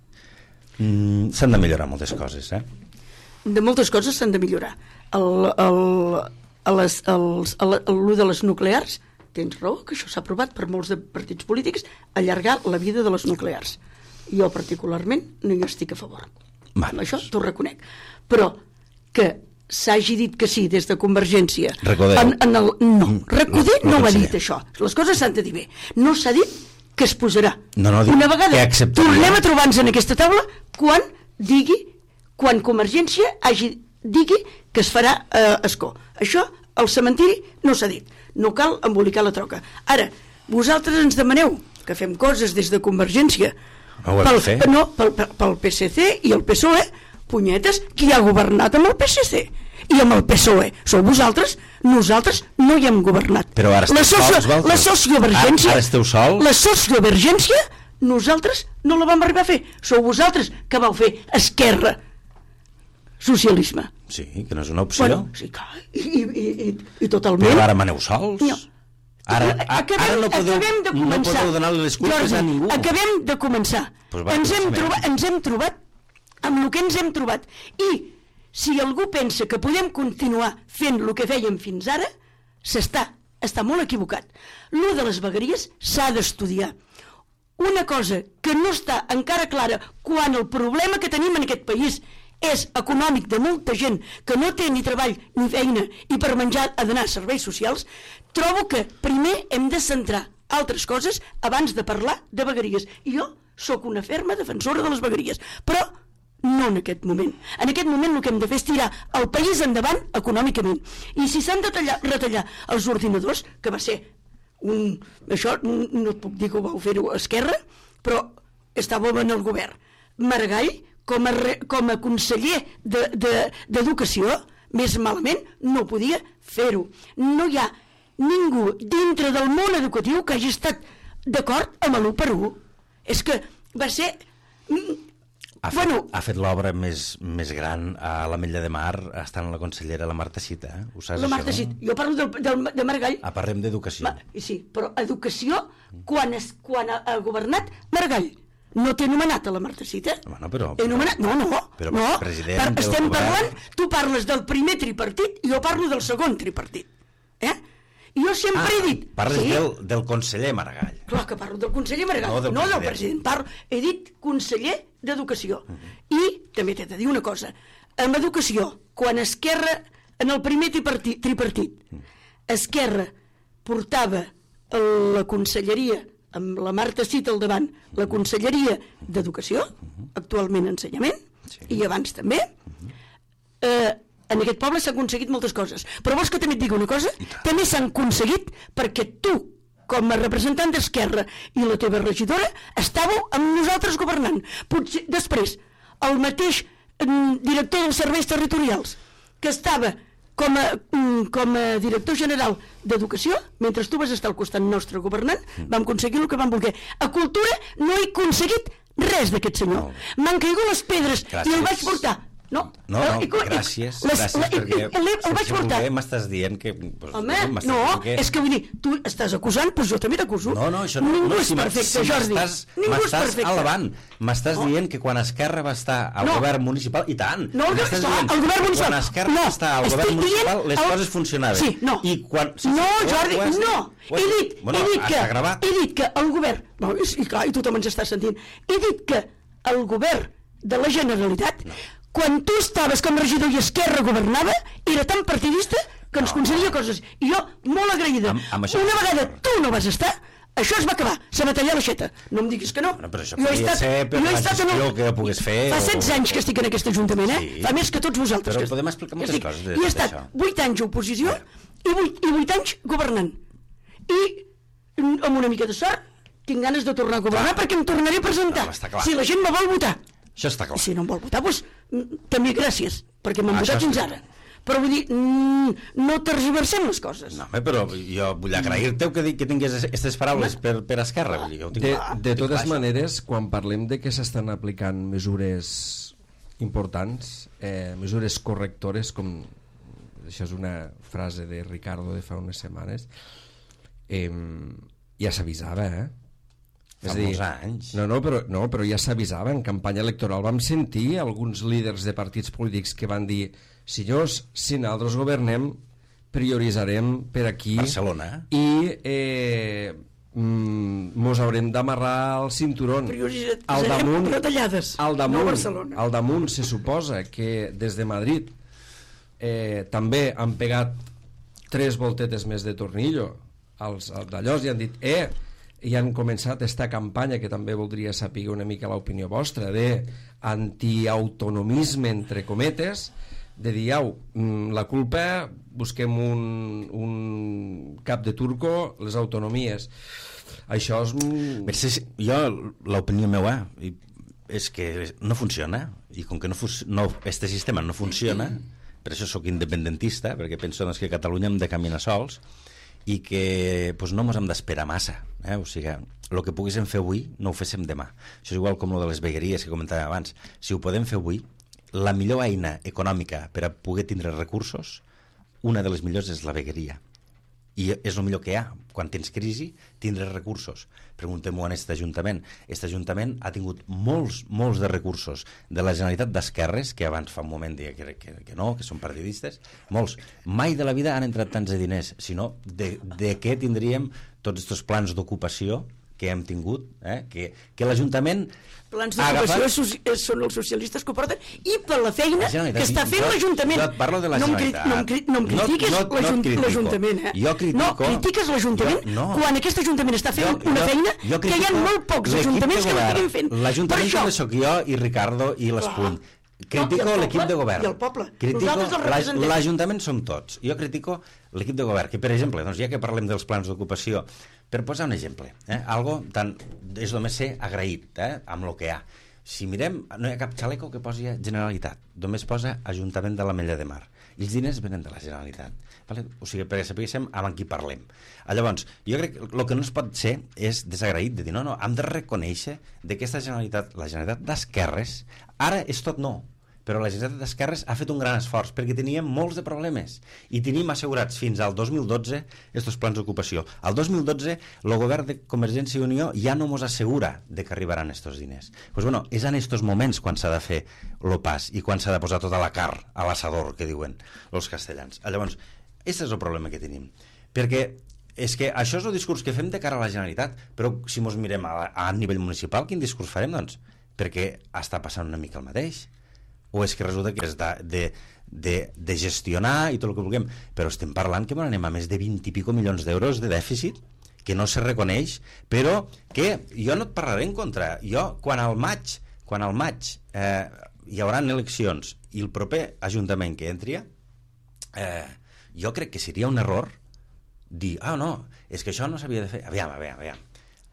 Mm, s'han de millorar moltes coses, eh? De moltes coses s'han de millorar. El, el, a les, els, a la, l'u de les nuclears, tens raó, que això s'ha aprovat per molts de partits polítics, allargar la vida de les nuclears. Jo particularment no hi estic a favor. Vale. Això t'ho reconec. Però que s'hagi dit que sí des de Convergència Recodeu. en, en el, no, Recoder no, no, no ho ha conseller. dit això, les coses s'han de dir bé, no s'ha dit que es posarà. No, no, dic una vegada que acceptaria. tornem a trobar-nos en aquesta taula quan digui, quan Convergència hagi, digui que es farà a eh, Ascó. Això al cementiri no s'ha dit, no cal embolicar la troca. Ara, vosaltres ens demaneu que fem coses des de Convergència No ho hem pel, de fer. no, pel, pel, pel P S C i el P S O E, punyetes, qui ha governat amb el P S C i amb el P S O E? Sou vosaltres? Nosaltres no hi hem governat. Però ara esteu la socio, sols, vosaltres? La sociovergència... Ara, ara esteu sols? La sociovergència nosaltres no la vam arribar a fer. Sou vosaltres que vau fer esquerra. Socialisme. Sí, que no és una opció. Bueno, sí, clar, i, i, i, i totalment... Però ara maneu sols? No. Ara, a, acabem, ara no podeu, acabem de no començar. podeu donar les culpes Jordi, a ningú. acabem de començar. Pues va, ens, hem comencem. trobat, ens hem trobat amb el que ens hem trobat. I si algú pensa que podem continuar fent el que fèiem fins ara, s'està està molt equivocat. L'u de les vegueries s'ha d'estudiar. Una cosa que no està encara clara quan el problema que tenim en aquest país és econòmic de molta gent que no té ni treball ni feina i per menjar ha d'anar a serveis socials, trobo que primer hem de centrar altres coses abans de parlar de vegueries. I jo sóc una ferma defensora de les vegueries, però no en aquest moment. En aquest moment el que hem de fer és tirar el país endavant econòmicament. I si s'han de tallar, retallar els ordinadors, que va ser un... això no et puc dir que ho vau fer-ho a Esquerra, però estàvem en el govern. Maragall, com a, re, com a conseller d'Educació, de, de, més malament no podia fer-ho. No hi ha ningú dintre del món educatiu que hagi estat d'acord amb l'u per u. És que va ser... Ha fet, bueno, ha fet l'obra més, més gran a l'Ametlla de Mar estant la consellera la Marta Cita, eh? Ho saps, la Marta això? Cita. Jo parlo del, del, de Maragall. Ah, parlem d'educació. Sí, però educació, quan, es, quan ha, ha governat Maragall, no t'he nomenat a la Marta Cita? Bueno, però... He nomenat... No, no, però no. president Per, del estem govern... parlant... Tu parles del primer tripartit i jo parlo del segon tripartit. Eh? I jo sempre ah, he dit... Parles sí, del, del conseller Maragall. clar que parlo del conseller Maragall, No, del no del president. president. Parlo, he dit conseller d'Educació. Uh -huh. I també t'he de dir una cosa. Amb Educació, quan Esquerra, en el primer tripartit, tripartit uh -huh. Esquerra portava la conselleria, amb la Marta Cita al davant, la conselleria d'Educació, uh -huh. actualment Ensenyament, sí. I abans també, uh -huh. eh, en aquest poble s'han aconseguit moltes coses. Però vols que també et digui una cosa? També s'han aconseguit perquè tu, com a representant d'Esquerra i la teva regidora, estàveu amb nosaltres governant. Potser després, el mateix mm, director dels serveis territorials, que estava com a, mm, com a director general d'Educació, mentre tu vas estar al costat nostre governant, vam aconseguir el que vam voler. A Cultura no he aconseguit res d'aquest senyor. M'han caigut les pedres Gràcies. i el vaig portar. No, No, no, I, i, gràcies, les, gràcies, la, perquè el, el, el vaig portar. m'estàs dient que... Pues, Home, m'estàs no, dient que... és que vull dir, tu estàs acusant, doncs jo també t'acuso. No, no, això no... Ningú no, és si perfecte, si Jordi. M'estàs, Ningú és m'estàs perfecte. alabant. M'estàs No. dient que quan Esquerra va estar al No. govern municipal... I tant! No, el, m'estàs no, dient el govern que municipal. Quan Esquerra no, va estar al estic govern municipal, dient les el... coses funcionaven. Sí, no. I quan... Sí, sí, no, ho- Jordi, ho has dit? no. Ho has He dit? dit, Bueno, he dit que... està gravat. He dit que el govern... No, i clar, i tu també ens estàs sentint. He dit que el govern de la Generalitat... No. quan tu estaves com a regidor i Esquerra governava, era tan partidista que ens concedia coses. I jo, molt agraïda. Amb, amb això... Una vegada tu no vas estar, això es va acabar, se va tallar l'aixeta. No em diguis que no. No, però això podria estat, ser per la gestió el... que pogués fer. Fa setze o... anys que estic en aquest Ajuntament, eh? Sí. Fa més que tots vosaltres. Però que... podem explicar moltes estic... coses I he estat vuit anys a oposició i vuit, i vuit anys governant. I amb una mica de sort tinc ganes de tornar a governar clar. Perquè em tornaré a presentar. No, si la gent me vol votar. Això està clar. Si no em vol votar, doncs també gràcies, perquè m'han votat fins ara. Però vull dir, no tergiversem les coses. No, però jo vull agrair-te que, que tingués aquestes paraules per, per Esquerra. Vull dir, jo tinc... De, de totes maneres, quan parlem de que s'estan aplicant mesures importants, eh, mesures correctores, com això és una frase de Ricardo de fa unes setmanes, eh, ja s'avisava, eh? Fa molts anys. No, no, però, no, però ja s'avisava. En campanya electoral vam sentir alguns líders de partits polítics que van dir: senyors, si nosaltres governem, prioritzarem per aquí Barcelona i eh, mm, mos haurem d'amarrar el cinturón. Al damunt, retallades, al damunt, no Barcelona. Al damunt se suposa que des de Madrid eh, també han pegat tres voltetes més de tornillo als, als d'allò i han dit eh, i han començat aquesta campanya que també voldria saber una mica l'opinió vostra de antiautonomisme entre cometes, de dir au, la culpa busquem un, un cap de turco, les autonomies. Això és... Jo, l'opinió meva és que no funciona, i com que no, no, este sistema no funciona, per això sóc independentista, perquè penso doncs, que a Catalunya hem de caminar sols i que pues, no ens hem d'esperar massa, eh? O sigui, el que poguéssim fer avui no ho féssim demà. Això és igual com el de les vegueries que comentàvem abans. Si ho podem fer avui, la millor eina econòmica per a poder tindre recursos, una de les millors és la vegueria. I és el millor que hi ha. Quan tens crisi, tindre recursos. Preguntem-ho en aquest Ajuntament. Aquest Ajuntament ha tingut molts, molts de recursos de la Generalitat d'Esquerres, que abans fa un moment deia que, que, que no, que són partidistes, molts. Mai de la vida han entrat tants de diners, sinó de, de què tindríem tots aquests plans d'ocupació que hem tingut, eh? que, que l'Ajuntament plans d'ocupació agafat... són els socialistes que ho porten i per la feina la que està fent l'Ajuntament. Jo et parlo de la no Generalitat. No em, cri no em critiquis no, no, no l'Ajuntament. Eh? Jo critico... No critiques l'Ajuntament no. quan aquest Ajuntament està fent jo, una jo, feina jo que hi ha molt pocs ajuntaments que l'estiguin fent. L'Ajuntament també sóc jo i Ricardo i l'Espuny. Critico no, l'equip de govern. I el poble. Critico l'Ajuntament som tots. Jo critico l'equip de govern, que per exemple, doncs ja que parlem dels plans d'ocupació, per posar un exemple, eh, algo tan, és només ser agraït eh, amb el que hi ha. Si mirem, no hi ha cap xaleco que posi Generalitat, només posa Ajuntament de l'Ametlla de Mar. I els diners venen de la Generalitat. Vale? O sigui, perquè sapiguéssim amb qui parlem. Llavors, jo crec que el que no es pot ser és desagraït de dir, no, no, hem de reconèixer que aquesta Generalitat, la Generalitat d'Esquerres, ara és tot no, però la Generalitat d'Esquerres ha fet un gran esforç perquè teníem molts de problemes i tenim assegurats fins al dos mil dotze aquests plans d'ocupació. Al dos mil dotze el govern de Convergència i Unió ja no ens assegura de que arribaran aquests diners. Pues bueno, és en aquests moments quan s'ha de fer el pas i quan s'ha de posar tota la carn a l'assador, que diuen els castellans. Llavors, aquest és el problema que tenim. Perquè és que això és el discurs que fem de cara a la Generalitat, però si ens mirem a, a nivell municipal, quin discurs farem, doncs? Perquè està passant una mica el mateix. O és que resulta que és de, de, de, de gestionar i tot el que vulguem, però estem parlant que anem a més de vint i pico milions d'euros de dèficit que no se reconeix, però que jo no et parlaré en contra. Jo, quan al maig, quan al maig eh, hi haurà eleccions i el proper Ajuntament que entri, eh, jo crec que seria un error dir, ah, no, és que això no s'havia de fer. Aviam, aviam, aviam.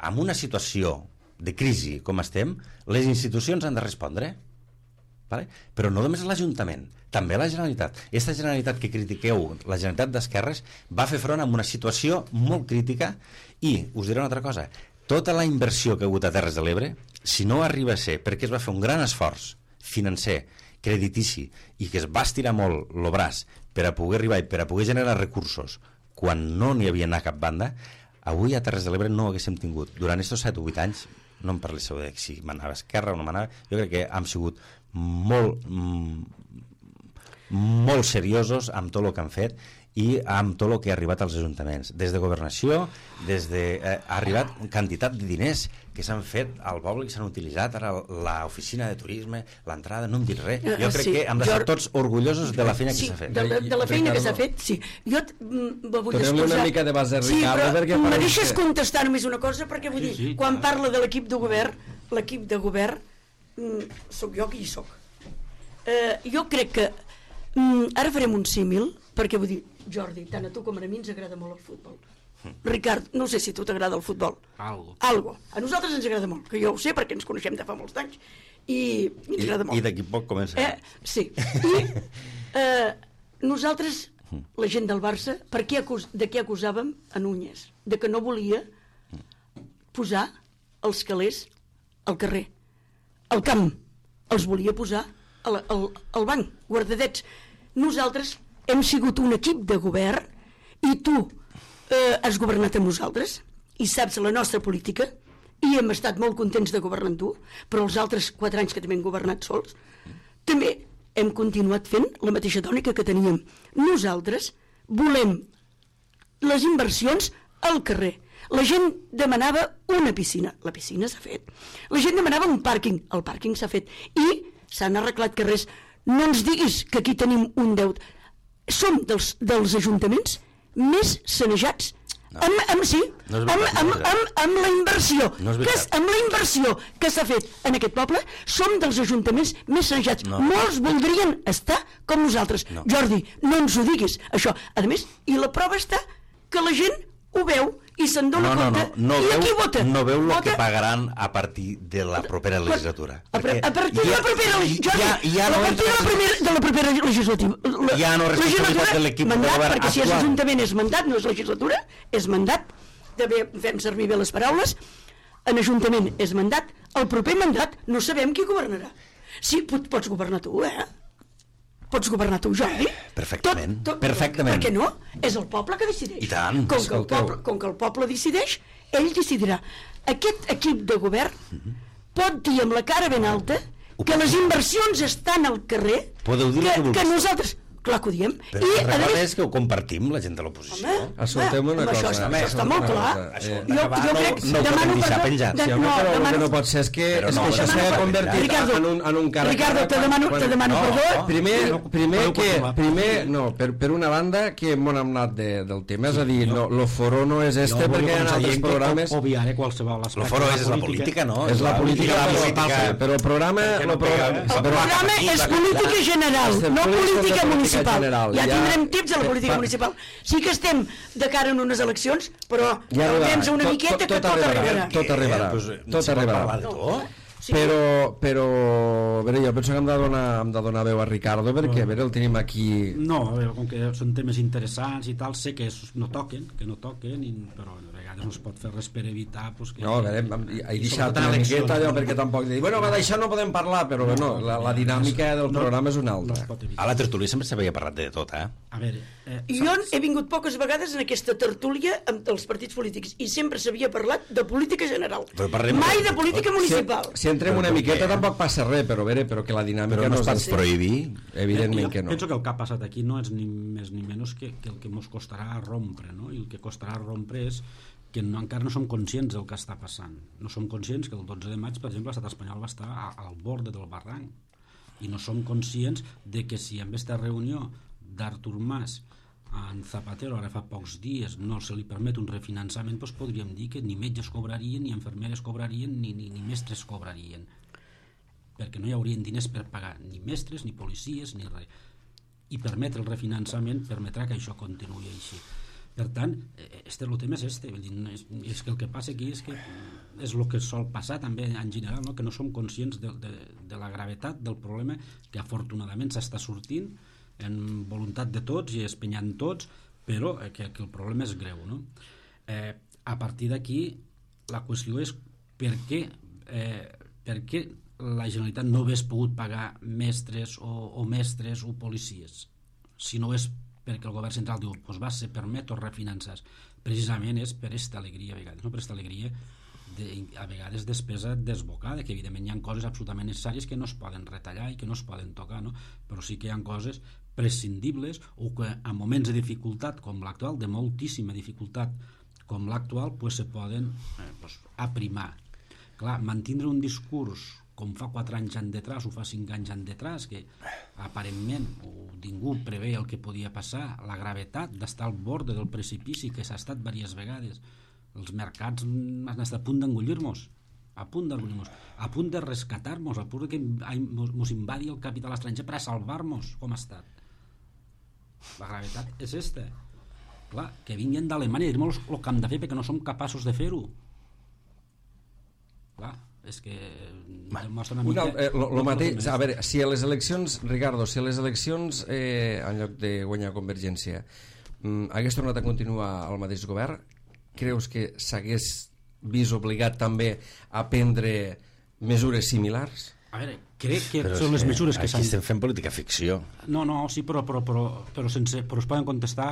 En una situació de crisi com estem, les institucions han de respondre. Vale? Però no només l'Ajuntament, també la Generalitat. Aquesta Generalitat que critiqueu, la Generalitat d'Esquerres, va fer front a una situació molt crítica i, us diré una altra cosa, tota la inversió que ha hagut a Terres de l'Ebre, si no arriba a ser perquè es va fer un gran esforç financer, creditici, i que es va estirar molt el braç per a poder arribar i per a poder generar recursos quan no n'hi havia anar a cap banda, avui a Terres de l'Ebre no ho haguéssim tingut. Durant aquests set o vuit anys, no em parléssiu de si manava Esquerra o no manava, jo crec que hem sigut molt molt seriosos amb tot el que han fet i amb tot el que ha arribat als ajuntaments, des de governació, des de, eh, ha arribat quantitat de diners que s'han fet al poble, que s'han utilitzat ara l'oficina de turisme, l'entrada, no em dic res. Jo crec sí, que hem d'estar jo... tots orgullosos de la feina sí, que s'ha fet. De, de, de la feina Ricardo, que s'ha fet, sí. Jo me vull Tornem excusar. una mica de base, sí, Ricardo, però perquè me pareix deixes que... contestar només una cosa, perquè vull Sí, dir, sí, quan clar. parla de l'equip de govern, l'equip de govern, mm, sóc jo qui hi soc. Eh, jo crec que mm, ara farem un símil, perquè vull dir, Jordi, tant a tu com a mi ens agrada molt el futbol. Ricard, no sé si a tu t'agrada el futbol. Algo. Algo. A nosaltres ens agrada molt, que jo ho sé perquè ens coneixem de fa molts anys i, i ens agrada molt. I d'aquí poc comença. Eh, sí. I eh, nosaltres, la gent del Barça, per què acus de què acusàvem a Núñez? De que no volia posar els calés al carrer, al camp. Els volia posar al, al, al banc, guardadets. Nosaltres hem sigut un equip de govern i tu eh, has governat amb nosaltres i saps la nostra política i hem estat molt contents de governar amb tu, però els altres quatre anys que també hem governat sols també hem continuat fent la mateixa tònica que teníem. Nosaltres volem les inversions al carrer. La gent demanava una piscina, la piscina s'ha fet. La gent demanava un pàrquing, el pàrquing s'ha fet. I s'han arreglat carrers. No ens diguis que aquí tenim un deute. Som dels, dels ajuntaments més sanejats. No. Amb, amb, sí, no amb, amb, amb, amb la inversió no que, amb la inversió que s'ha fet en aquest poble, som dels ajuntaments més sanejats. No. Molts voldrien estar com nosaltres. No. Jordi, no ens ho diguis, això. A més, i la prova està que la gent ho veu i se'n dona no, no, compte. No, no, I veu, aquí vota. No veu el vota. que pagaran a partir de la propera legislatura. A, a, a partir de la propera legislatura. Ja, ja no a partir de la, primera, de la propera legislativa. La, ja no és responsabilitat de l'equip de govern perquè actual. si és ajuntament és mandat, no és legislatura, és mandat. També fem servir bé les paraules. En ajuntament és mandat. El proper mandat no sabem qui governarà. Sí, pot, pots governar tu, eh? Pots governar tu, Jordi? Perfectament, tot, tot, perfectament. Per què no? És el poble que decideix. I tant. Com que, el poble, com que el poble decideix, ell decidirà. Aquest equip de govern mm-hmm. pot dir amb la cara ben alta que les inversions estan al carrer, podeu dir que, que, que nosaltres... Clar que ho diem. Però I, la recorda és que ho compartim, la gent de l'oposició. Escoltem una cosa. Això, està, això està molt clar. Això, jo, jo crec, no, no ho podem deixar penjat. De, sí, home, no, però demano, el que no pot ser és que, és no, que això s'ha convertit Ricardo, en un, en un càrrec. Ricardo, te demano, quan, te demano no, perdó. No, primer, primer que, primer, no, per, per una banda, que m'ho hem anat de, del tema, és a dir, no, lo foro no és este, perquè hi ha altres programes... Obviaré qualsevol aspecte. Lo foro és la política, no? És la política, però el programa... El programa és política general, no política municipal. Ja tindrem tips a la política municipal. Sí que estem de cara en unes eleccions, però temps una miqueta que tot arribarà. Tot arribarà, tot arribarà. Però, però, a veure, jo penso que hem de donar, hem de donar veu a Ricardo, perquè, a veure, el tenim aquí... No, a veure, com que són temes interessants i tal, sé que no toquen, que no toquen, i, però a vegades no es pot fer res per evitar... Pues, que, no, a veure, he deixat una miqueta allò, perquè tampoc... Dir, bueno, va, d'això no podem parlar, però no, la, la dinàmica del programa és una altra. No a la tertúlia sempre s'havia parlat de tot, eh? A veure... Eh, jo he vingut poques vegades en aquesta tertúlia amb els partits polítics i sempre s'havia parlat de política general, mai de política municipal. Si, si entrem una miqueta tampoc passa res, però, veure, però que la dinàmica no es pot prohibir. Evidentment que no. Penso que el que ha passat aquí no és ni més ni menys que, que el que ens costarà rompre, no? I el que costarà rompre és que no, encara no som conscients del que està passant. No som conscients que el dotze de maig, per exemple, l'estat espanyol va estar a, al bord del barranc i no som conscients de que si en aquesta reunió d'Artur Mas en Zapatero ara fa pocs dies no se li permet un refinançament, doncs podríem dir que ni metges cobrarien, ni infermeres cobrarien, ni, ni, ni mestres cobrarien, perquè no hi haurien diners per pagar ni mestres, ni policies, ni res. I permetre el refinançament permetrà que això continuï així. Per tant, este, el tema és este, és, és que el que passa aquí és que és el que sol passar també en general, no? Que no som conscients de, de, de la gravetat del problema que afortunadament s'està sortint en voluntat de tots i espenyant tots, però que, que el problema és greu, no? Eh, a partir d'aquí la qüestió és per què, eh, per què la Generalitat no hagués pogut pagar mestres o, o mestres o policies, si no és perquè el govern central diu, doncs va, se permet o refinançar. Precisament és per aquesta alegria a vegades, no? Per aquesta alegria de, a vegades despesa desbocada, que evidentment hi ha coses absolutament necessàries que no es poden retallar i que no es poden tocar, no? Però sí que hi ha coses prescindibles o que en moments de dificultat com l'actual, de moltíssima dificultat com l'actual, pues, se poden eh, pues, aprimar. Clar, mantindre un discurs com fa quatre anys en detrás o fa cinc anys en detrás, que aparentment o ningú prevé el que podia passar, la gravetat d'estar al bord del precipici, que s'ha estat diverses vegades, els mercats han estat a punt d'engullir-nos, a punt d'engullir-nos, a punt de rescatar-nos, a punt que ens invadi el capital estranger per a salvar-nos, com ha estat. La gravetat és esta. Clar, que vinguin d'Alemanya i dir-me el que hem de fer perquè no som capaços de fer-ho. Clar, és que demostra una mica... Eh, lo, lo mateix, a veure, si a les eleccions, Ricardo, si a les eleccions, eh, en lloc de guanyar Convergència, mm, hagués tornat a continuar el mateix govern, creus que s'hagués vist obligat també a prendre mesures similars? A veure, crec que però són les mesures que s'han... Aquí estem fent política ficció. No, no, sí, però, però, però, però, sense, però es poden contestar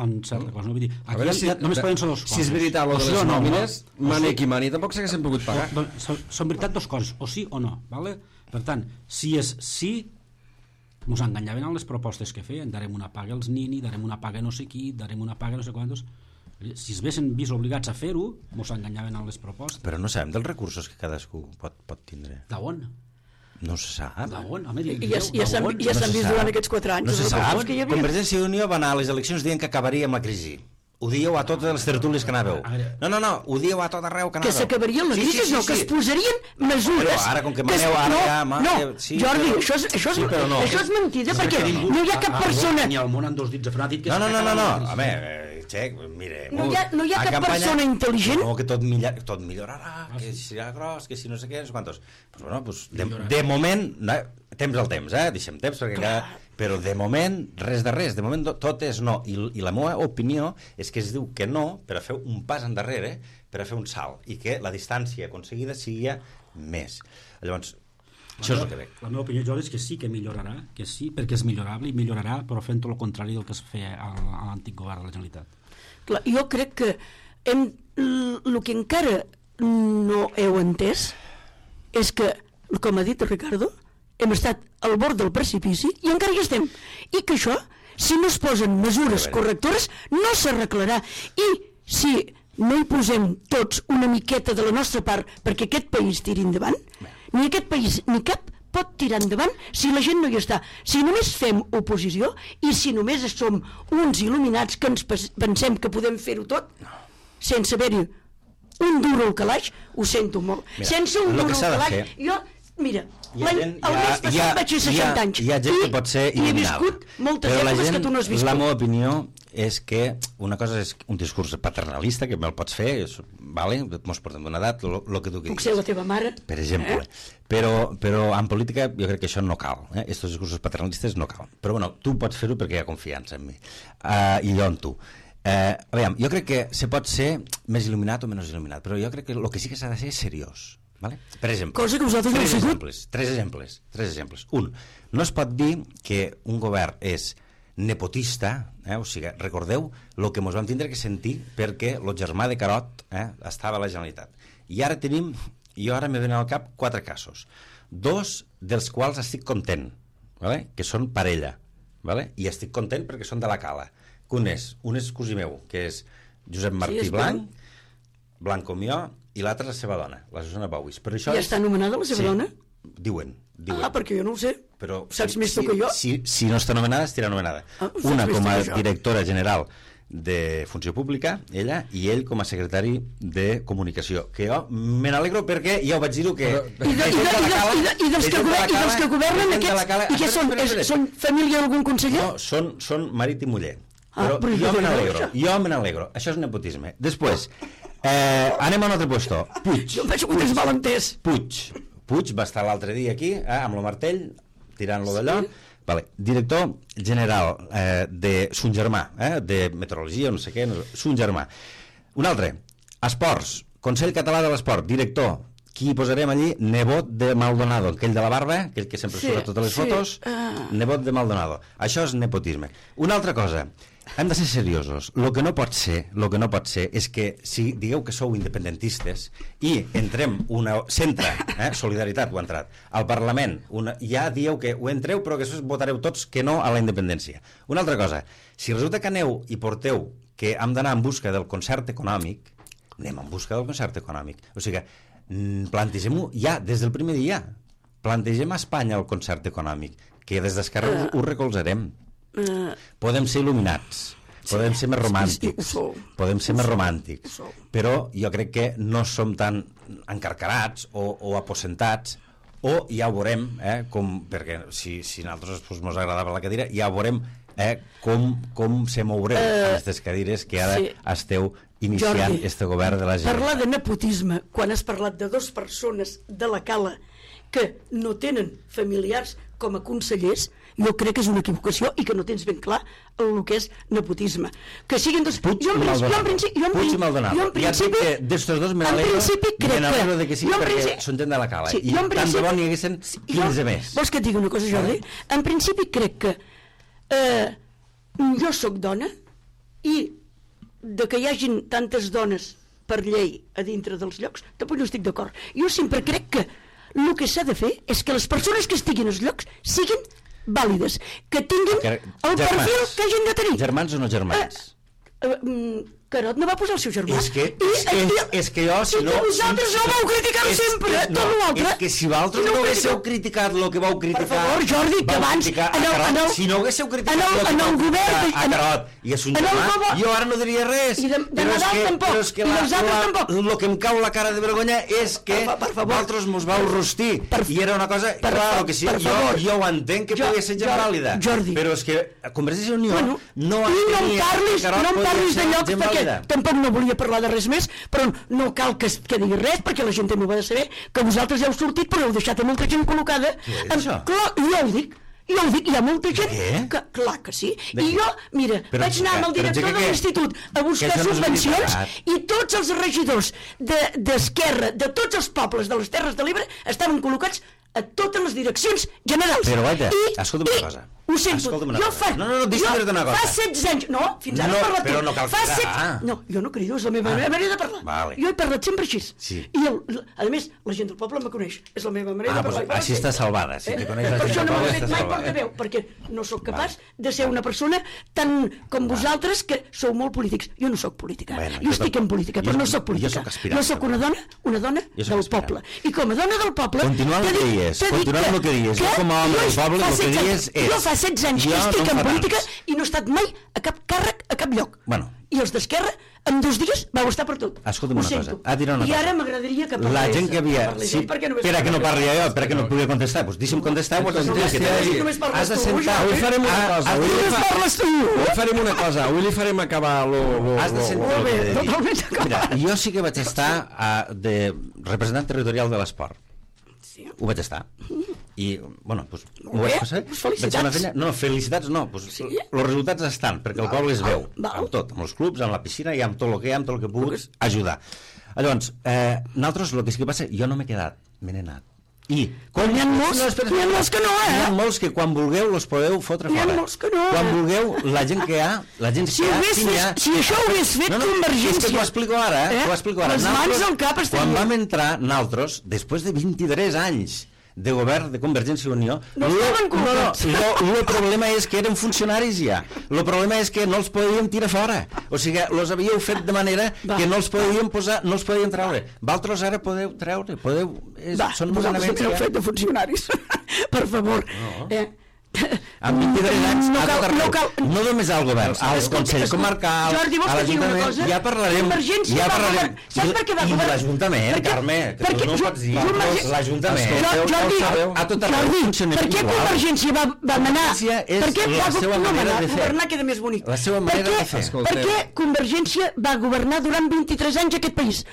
en certa cosa. No? Vull dir, aquí veure, si, ja, només de, poden ser dos coses. Si és veritat, lo de les no, nòmines, no, mani sí, qui mani, tampoc s'haguessin pogut pagar. No, són, són veritat dos coses, o sí o no. Vale? Per tant, si és sí, ens enganyaven en les propostes que feien. Darem una paga als nini, darem una paga no sé qui, darem una paga no sé quantos... Si es vessin vist obligats a fer-ho, ens enganyaven en les propostes. Però no sabem dels recursos que cadascú pot, pot tindre. D'on? No se sap. D'on? Home, I ja, ja s'han ja no vist durant aquests quatre anys. No se sap. Que hi havia. Convergència i Unió va anar a les eleccions dient que acabaria amb la crisi. Ho dieu a totes les tertúlies que anàveu. No, no, no, ho dieu a tot arreu que anàveu. Que s'acabarien les crisis, sí, sí, sí, no, que es posarien mesures. Però ara, com que maneu ara... No, ja, ma, no, sí, Jordi, però... això és, això és, sí, però no. això és mentida, perquè no hi ha cap persona... Ni al món en dos dits afranàtic... No, no, no, no, no, a veure, Xec, mire... No hi ha, no hi ha cap campanya, persona intel·ligent... No, que tot, millor, tot millorarà, que serà gros, que si no sé què, no sé quantos... Pues bueno, pues, de, de moment, no, temps al temps, eh? Deixem temps, perquè cada... Però de moment, res de res, de moment tot és no. I, i la meva opinió és que es diu que no per a fer un pas endarrere, per a fer un salt, i que la distància aconseguida sigui més. Llavors, això és el que veig. La meva opinió, Jordi, és que sí que millorarà, que sí, perquè és millorable, i millorarà, però fent tot el contrari del que es feia a l'antic govern de la Generalitat. Clar, jo crec que hem, el que encara no heu entès és que, com ha dit el Ricardo, hem estat al bord del precipici i encara hi estem. I que això, si no es posen mesures correctores, no s'arreglarà. I si no hi posem tots una miqueta de la nostra part perquè aquest país tiri endavant, ni aquest país ni cap pot tirar endavant si la gent no hi està. Si només fem oposició i si només som uns il·luminats que ens pensem que podem fer-ho tot, sense haver-hi un duro al calaix, ho sento molt. Mira, sense un duro al calaix, jo... Mira, gent, el mes passat ha, vaig fer seixanta anys hi ha gent que pot ser i he viscut moltes però èpoques gent, que tu no has viscut. La meva opinió és que una cosa és un discurs paternalista que me'l pots fer, és, vale, mos portem d'una edat, el que tu que puc ser la teva mare, per exemple, eh? però, però en política jo crec que això no cal, eh? Estos discursos paternalistes no cal, però bueno, tu pots fer-ho perquè hi ha confiança en mi, uh, i jo en tu. Uh, a veure, jo crec que se pot ser més il·luminat o menys il·luminat, però jo crec que el que sí que s'ha de ser és seriós. Vale? Per exemple, cosa que vosaltres no heu sigut. Exemples, tres exemples, tres exemples. Un, no es pot dir que un govern és nepotista, eh? O sigui, recordeu el que ens vam tindre que sentir perquè el germà de Carot eh, estava a la Generalitat. I ara tenim, jo ara me venen al cap quatre casos, dos dels quals estic content, vale? Que són parella, vale? I estic content perquè són de la Cala. Un és, un és cosí meu, que és Josep Martí sí, Blanc, Blanc com jo, i l'altra la seva dona, la Susana Bauis. Però això ja és... està anomenada la seva sí, dona? Diuen, diuen. Ah, perquè jo no ho sé. Però saps si, més tu si, que jo? Si, si no està anomenada, estirà anomenada. Ah, una com a directora general de Funció Pública, ella, i ell com a secretari de Comunicació. Que jo me n'alegro perquè ja ho vaig dir-ho que... I, de, i, de, i, de, i, de, i, dels que governen, i dels que governen aquests... I què són? És, són família d'algun conseller? No, són, són marit i muller. Ah, però, però jo me n'alegro. Jo me n'alegro. Això és nepotisme. Després... Eh, anem a un altre puesto. Puig. Jo em vaig que tens mal entès. Puig. Puig va estar l'altre dia aquí, eh, amb el martell, tirant-lo d'allò. Sí. Vale. Director general eh, de son germà, eh, de meteorologia, no sé què, no, son germà. Un altre, Esports, Consell Català de l'Esport, director. Qui posarem allí? Nebot de Maldonado, aquell de la barba, aquell que sempre sí, surt a totes les sí. fotos, uh... nebot de Maldonado. Això és nepotisme. Una altra cosa, hem de ser seriosos. El que no pot ser, lo que no pot ser és que si digueu que sou independentistes i entrem una centre, eh, Solidaritat ho ha entrat, al Parlament, una, ja dieu que ho entreu però que després votareu tots que no a la independència. Una altra cosa, si resulta que aneu i porteu que hem d'anar en busca del concert econòmic, anem en busca del concert econòmic. O sigui que plantegem-ho ja des del primer dia. Plantegem a Espanya el concert econòmic, que des d'Esquerra uh, ho recolzarem. Uh, podem ser il·luminats, sí, podem ser més romàntics, sí, sí, podem ser més romàntics, però jo crec que no som tan encarcarats o, o aposentats, o ja ho veurem, eh, com, perquè si, si a nosaltres pues, mos agradava la cadira, ja veurem eh, com, com se moureu uh, aquestes cadires que ara sí. esteu iniciant este govern de la gent. Parlar de nepotisme quan has parlat de dues persones de la Cala que no tenen familiars com a consellers, jo crec que és una equivocació i que no tens ben clar el que és nepotisme. Que siguin dos... Puig i Maldonado. Puig i Maldonado. Ja dic que d'estos dos me n'alegro de que sí, perquè són gent de la Cala. I tant de bon hi haguessin quinze més. Vols que et digui una cosa, Jordi? En principi crec que eh, jo sóc dona i de que hi hagin tantes dones per llei a dintre dels llocs, tampoc no estic d'acord. Jo sempre crec que el que s'ha de fer és que les persones que estiguin als llocs siguin vàlides, que tinguin el perfil que hagin de tenir. Germans o no germans? Uh, uh, Carot no va posar el seu germà. És que, és, I, és, és que jo, si no... I que vosaltres si, no vau criticar és, sempre, és, tot no, l'altre. És que si vosaltres no, no haguéssiu criticat el que vau criticar... Per favor, Jordi, que abans... En el, en el, si no haguéssiu criticat el, el que vau criticar a Carot i a son germà, jo ara no diria res. I de, de però, és que, tampoc, però és que la, la, el que em cau la cara de vergonya és que vosaltres mos vau rostir. I era una cosa... Clar, que sí, jo, jo ho entenc que pugui ser gent vàlida. Però és que Convergència i Unió no tenia que Carot podia ser gent vàlida. Tampoc no volia parlar de res més, però no cal que, que digui res, perquè la gent també ho ha de saber, que vosaltres ja heu sortit, però heu deixat a molta gent col·locada. Què és això? Clar, jo ho dic, jo ho dic, hi ha molta gent que, clar que sí. I jo, mira, però, vaig anar amb el director de l'institut a buscar subvencions i tots els regidors d'Esquerra, de, de tots els pobles de les Terres de l'Ebre estaven col·locats a totes les direccions generals. Però vaja, escolta'm una cosa. Ho sento, jo fa... No, no, no, deixa'm dir-te una cosa. Fa setze anys... No, fins ara no, he parlat però no cal cridar. Set... No, jo no crido, és la meva ah. manera de parlar. Vale. Jo he parlat sempre així. Sí. I, el, a més, la gent del poble me coneix. És la meva manera ah, de parlar. Ah, doncs així està salvada. Si eh? te coneix la per gent això del no poble, m'he fet mai portaveu, perquè no sóc capaç vale. de ser una persona tan com vosaltres, que sou molt polítics. Jo no sóc política. Bueno, jo estic en política, però no sóc política. Jo sóc una dona, una dona del poble. I com a dona del poble... Continuant el que dies, continuant el que dies. Jo com a home del poble el que dies és... Jo fa setze anys que estic en política i no he estat mai a cap càrrec, a cap lloc. Bueno. I els d'Esquerra, en dos dies, vau estar per tot. Escolta'm una cosa. Ah, dirà una I cosa. ara m'agradaria que parlés. La gent que havia... Sí, per a que no parli jo, per a que no pugui contestar. Doncs deixa'm contestar. Has de sentar. Avui farem una cosa. Avui farem una cosa. Avui li farem acabar lo... Has de sentar el que he de dir. Mira, jo sí que vaig estar de representant territorial de l'esport. Ho vaig estar. I, bueno, doncs, ho vaig passar. Felicitats. No, felicitats no. Els resultats estan, perquè el poble es veu. Amb tot, amb els clubs, amb la piscina i amb tot el que hi ha, amb tot el que puguis ajudar. Llavors, nosaltres, el que sí que passa, jo no m'he quedat, me n'he anat. I n'hi ha molts, n'hi ha molts que no, eh? N'hi ha molts que quan vulgueu els podeu fotre fora. N'hi ha molts que no, eh? Quan vulgueu, la gent que hi ha, la gent que hi ha... Si això ho hagués fet Convergència... És que t'ho explico ara, eh? T'ho explico ara. Les mans al cap estan... Quan vam entrar, nosaltres, després de vint-i-tres anys de govern de Convergència i Unió, no estaven comptats. No, no, el problema és que eren funcionaris ja. El problema és que no els podíem tirar fora. O sigui, els havíeu fet de manera que no els podíem posar, no els podíem treure. Vosaltres ara podeu treure, podeu... És, Va, són vosaltres també heu fet de funcionaris. Per favor. No. Eh, amb vint-i-tres anys no, cal, no, cal, no només al govern, als consells comarcals, Jordi, a l'Ajuntament, ja parlarem, ja parlarem. Saps per què va I de l'Ajuntament, Carme, que tu no ho pots dir, l'Ajuntament, Jordi, a tot arreu funciona per què Convergència va, va manar? Per què va governar? Governar queda més bonic. La seva manera de fer. Per què Convergència va governar durant vint-i-tres anys aquest país?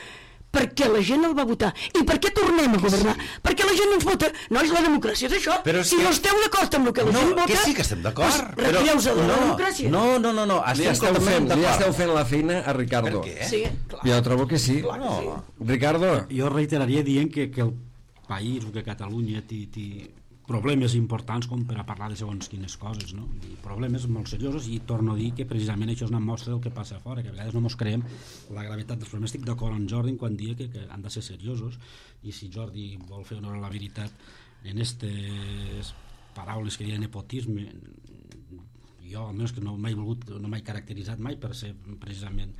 Perquè la gent el va votar. I per què tornem a governar? Sí. Perquè la gent ens vota. No és la democràcia, és això. Però si que... no esteu d'acord amb el que la no, gent vota... Que sí que estem d'acord. Pues retireu-se de la no, democràcia. No, no, no. no. Li, esteu fent, li esteu fent la feina a Ricardo. Per què? Sí, clar. Jo trobo que sí. Clar que sí. Ricardo. Jo reiteraria dient que, que el país, que Catalunya, ti, ti, problemes importants com per a parlar de segons quines coses, no? I problemes molt seriosos, i torno a dir que precisament això és una mostra del que passa a fora, que a vegades no mos creiem la gravetat dels problemes. Estic d'acord amb Jordi quan dia que, que han de ser seriosos, i si Jordi vol fer honor a la veritat en aquestes paraules que diuen nepotisme, jo almenys que no m'he volgut, no m'he caracteritzat mai per ser precisament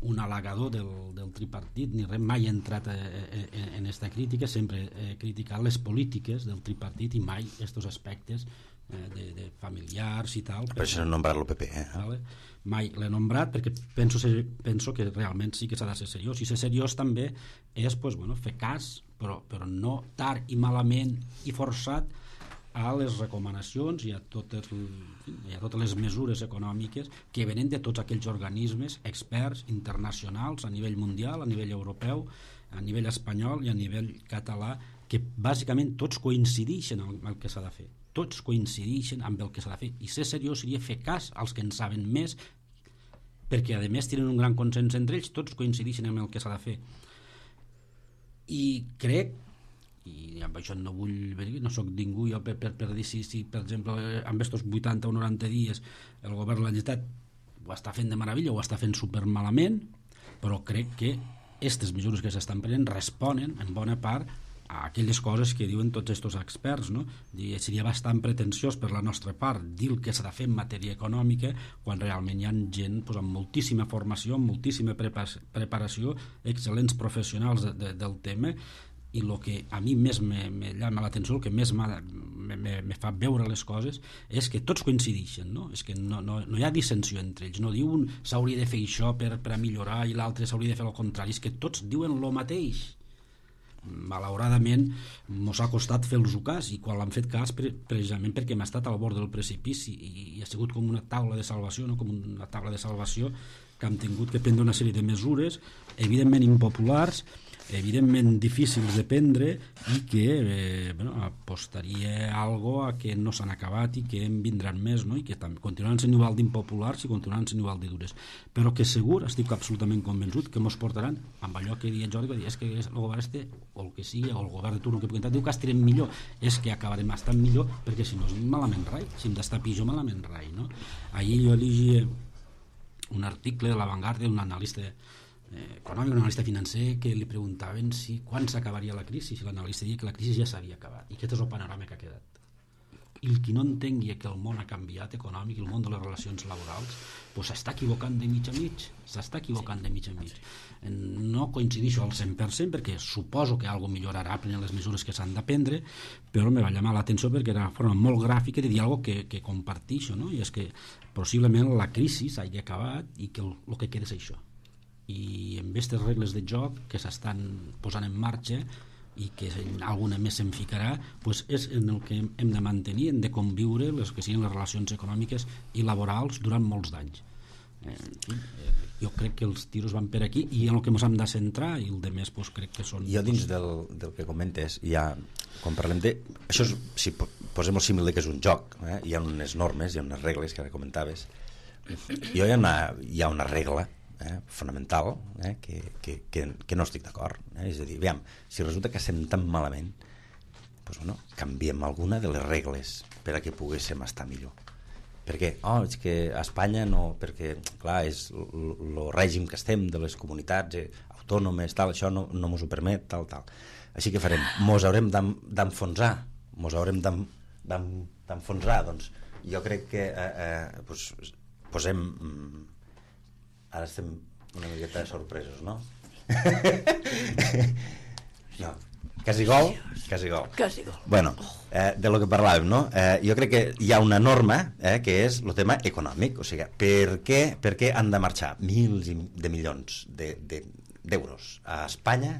un halagador del, del tripartit, ni res, mai he entrat en aquesta crítica, sempre he criticat les polítiques del tripartit i mai aquests aspectes eh, de, de familiars i tal. Per això no he nombrat l'O P P, eh? Vale? Mai l'he nombrat perquè penso, ser, penso que realment sí que s'ha de ser seriós, i ser seriós també és pues, bueno, fer cas, però, però no tard i malament i forçat a les recomanacions i a totes, i a totes les mesures econòmiques que venen de tots aquells organismes experts internacionals a nivell mundial, a nivell europeu, a nivell espanyol i a nivell català, que bàsicament tots coincideixen amb el que s'ha de fer. Tots coincideixen amb el que s'ha de fer. I ser seriós seria fer cas als que en saben més, perquè a més tenen un gran consens entre ells, tots coincideixen amb el que s'ha de fer. I crec, i amb això no vull venir, no sóc ningú jo per, per, per dir si, si per exemple amb estos vuitanta o noranta dies el govern de la Generalitat ho està fent de meravella o ho està fent supermalament, però crec que aquestes mesures que s'estan prenent responen en bona part a aquelles coses que diuen tots aquests experts, no? I seria bastant pretensiós per la nostra part dir el que s'ha de fer en matèria econòmica quan realment hi ha gent pues, amb moltíssima formació, amb moltíssima preparació, excel·lents professionals de, de, del tema. I el que a mi més me, me llama l'atenció, el que més me, me, me fa veure les coses és que tots coincideixen, no? És que no, no, no hi ha dissensió entre ells, no diu un s'hauria de fer això per, per a millorar i l'altre s'hauria de fer el contrari, és que tots diuen el mateix. Malauradament mos ha costat fer-los cas, i quan l'han fet cas pre precisament perquè hem estat al bord del precipici i, i ha sigut com una taula de salvació, no? Com una taula de salvació que hem tingut que prendre una sèrie de mesures evidentment impopulars, evidentment difícils de prendre i que eh, bueno, apostaria algo a que no s'han acabat i que en vindran més, no? I que també continuaran sent igual d'impopulars i continuaran sent igual de dures, però que segur, estic absolutament convençut que ens portaran amb allò que deia Jordi, és que el govern este, o el que sigui, o el govern de turno que pugui entrar, diu que estarem millor, és que acabarem estant millor, perquè si no és malament rai, si hem d'estar pitjor malament rai, no? Ahir jo llegia un article de La Vanguardia d'un analista Eh, econòmic, un analista financer, que li preguntaven si quan s'acabaria la crisi, si l'analista deia que la crisi ja s'havia acabat, i aquest és el panorama que ha quedat. I el qui no entengui que el món ha canviat econòmic, el món de les relacions laborals, pues s'està equivocant de mig a mig, s'està equivocant de mig a mig. No coincidixo al cent per cent perquè suposo que alguna millorarà prenent les mesures que s'han de prendre, però me va llamar l'atenció perquè era una forma molt gràfica de dir alguna que, que compartixo, no? I és que possiblement la crisi s'hagi acabat i que el, el que queda és això. I amb aquestes regles de joc que s'estan posant en marxa i que alguna més se'n ficarà, pues és en el que hem de mantenir, hem de conviure les que siguin les relacions econòmiques i laborals durant molts d'anys. Eh, jo crec que els tiros van per aquí i en el que ens hem de centrar, i el de més pues, crec que són... Jo dins del, del que comentes, ja, quan parlem de... Això és, si posem el símil de que és un joc, eh? Hi ha unes normes, hi ha unes regles que ara comentaves. Jo hi ha una, hi ha una regla Eh, fonamental eh, que, que, que, que no estic d'acord, eh? És a dir, aviam, si resulta que estem tan malament, doncs, bueno, canviem alguna de les regles per a que poguéssim estar millor. Per què? Oh, és que a Espanya no, perquè clar, és el règim que estem de les comunitats eh, autònomes, tal, això no, no mos ho permet, tal, tal. Així que farem, mos haurem d'enfonsar, mos haurem d'enfonsar, doncs jo crec que eh, eh, pues, posem... Ara estem una miqueta sorpresos, no? No, quasi gol, quasi gol. Quasi gol. Bueno, eh, de lo que parlàvem, no? Eh, jo crec que hi ha una norma eh, que és el tema econòmic, o sigui, per què, per què han de marxar mils de milions d'euros de, de, a Espanya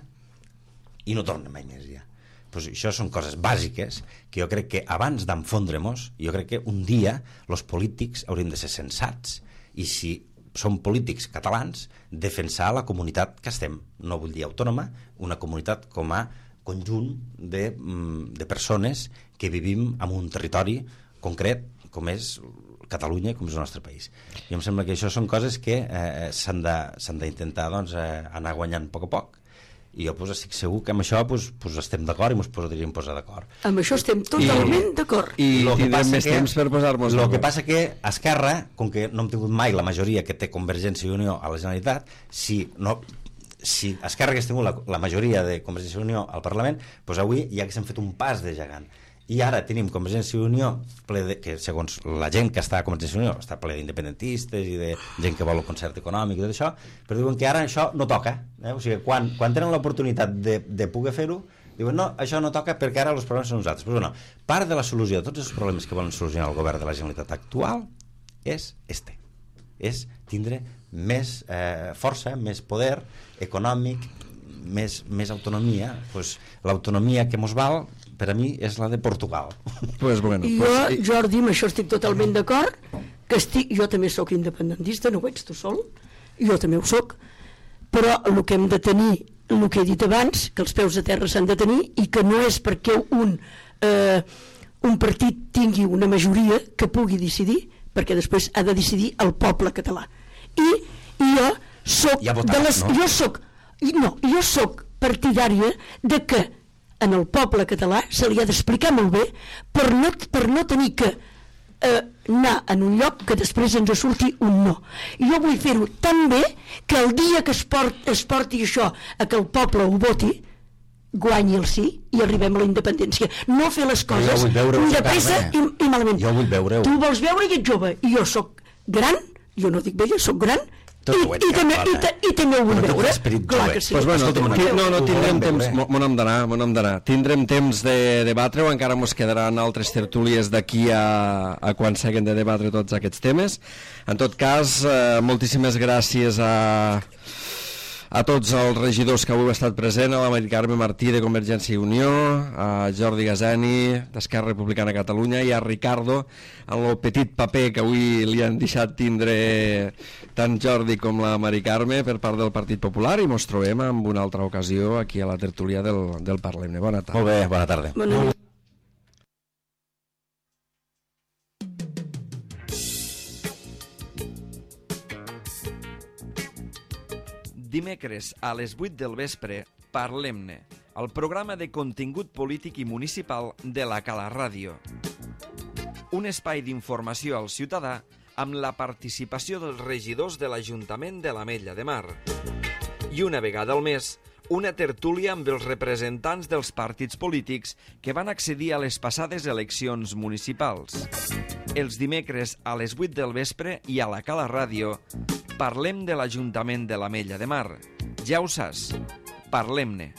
i no tornen mai més ja? Pues això són coses bàsiques que jo crec que abans d'enfondre-nos, jo crec que un dia els polítics hauríem de ser sensats i si som polítics catalans, defensar la comunitat que estem, no vull dir autònoma, una comunitat com a conjunt de, de persones que vivim en un territori concret com és Catalunya i com és el nostre país. I em sembla que això són coses que eh, s'han d'intentar doncs, eh, anar guanyant a poc a poc i jo pues, estic segur que amb això pues, pues, estem d'acord i ens podríem posar d'acord. Amb això estem totalment d'acord. I Lo que tindrem passa més que- temps per posar-nos El d'acord. que passa que Esquerra, com que no hem tingut mai la majoria que té Convergència i Unió a la Generalitat, si, no, si Esquerra hagués tingut la, la majoria de Convergència i Unió al Parlament, doncs avui ja haguéssim fet un pas de gegant. I ara tenim Convergència i Unió ple de, que segons la gent que està a Convergència i Unió està ple d'independentistes i de gent que vol el concert econòmic i tot això, però diuen que ara això no toca, eh? O sigui, quan, quan tenen l'oportunitat de, de poder fer-ho, diuen no, això no toca perquè ara els problemes són nosaltres. Però bueno, part de la solució de tots els problemes que volen solucionar el govern de la Generalitat actual és este, és tindre més eh, força, més poder econòmic, més, més autonomia. Pues, l'autonomia que mos val per a mi és la de Portugal. Pues bueno, I pues, jo, Jordi, amb això estic totalment d'acord, que estic, jo també sóc independentista, no ho ets tu sol, jo també ho sóc, però el que hem de tenir, el que he dit abans, que els peus a terra s'han de tenir i que no és perquè un, eh, un partit tingui una majoria que pugui decidir, perquè després ha de decidir el poble català. I, i jo soc Ja votat, de les, no? jo soc, no, jo soc partidària de que en el poble català se li ha d'explicar molt bé per no, per no tenir que eh, anar en un lloc que després ens surti un no. I jo vull fer-ho tan bé que el dia que es, port, es porti això a que el poble ho voti, guanyi el sí i arribem a la independència. No fer les Però jo coses vull veure-ho, de pressa i, Carme. i malament. Jo vull veure-ho. Tu vols veure i ets jove i jo sóc gran, jo no dic vella, sóc gran, Tot i, ho ets, i, també, Carme. i, ta, i també ho vull Però tu veure. tens esperit Clar jove. que sí. Pues bueno, Escolta'm una ti- cosa, no, no ho tindrem volem temps, veure. mo- mon hem d'anar, mon hem d'anar. Tindrem temps de debatre-ho, encara mos quedaran altres tertúlies d'aquí a, a quan s'haguen de debatre tots aquests temes. En tot cas, eh, moltíssimes gràcies a, a tots els regidors que avui heu estat present, a la Mari Carme Martí de Convergència i Unió, a Jordi Gazani d'Esquerra Republicana de Catalunya i a Ricardo en el petit paper que avui li han deixat tindre tant Jordi com la Mari Carme per part del Partit Popular, i mos trobem en una altra ocasió aquí a la tertúlia del, del Parlem-ne. Bona tarda. Molt bé, bona tarda. Bona nit. Dimecres a les vuit del vespre, Parlem-ne, el programa de contingut polític i municipal de la Cala Ràdio. Un espai d'informació al ciutadà amb la participació dels regidors de l'Ajuntament de l'Ametlla de Mar. I una vegada al mes, una tertúlia amb els representants dels partits polítics que van accedir a les passades eleccions municipals. Els dimecres a les vuit del vespre i a la Cala Ràdio parlem de l'Ajuntament de l'Ametlla de Mar. Ja ho saps, parlem-ne.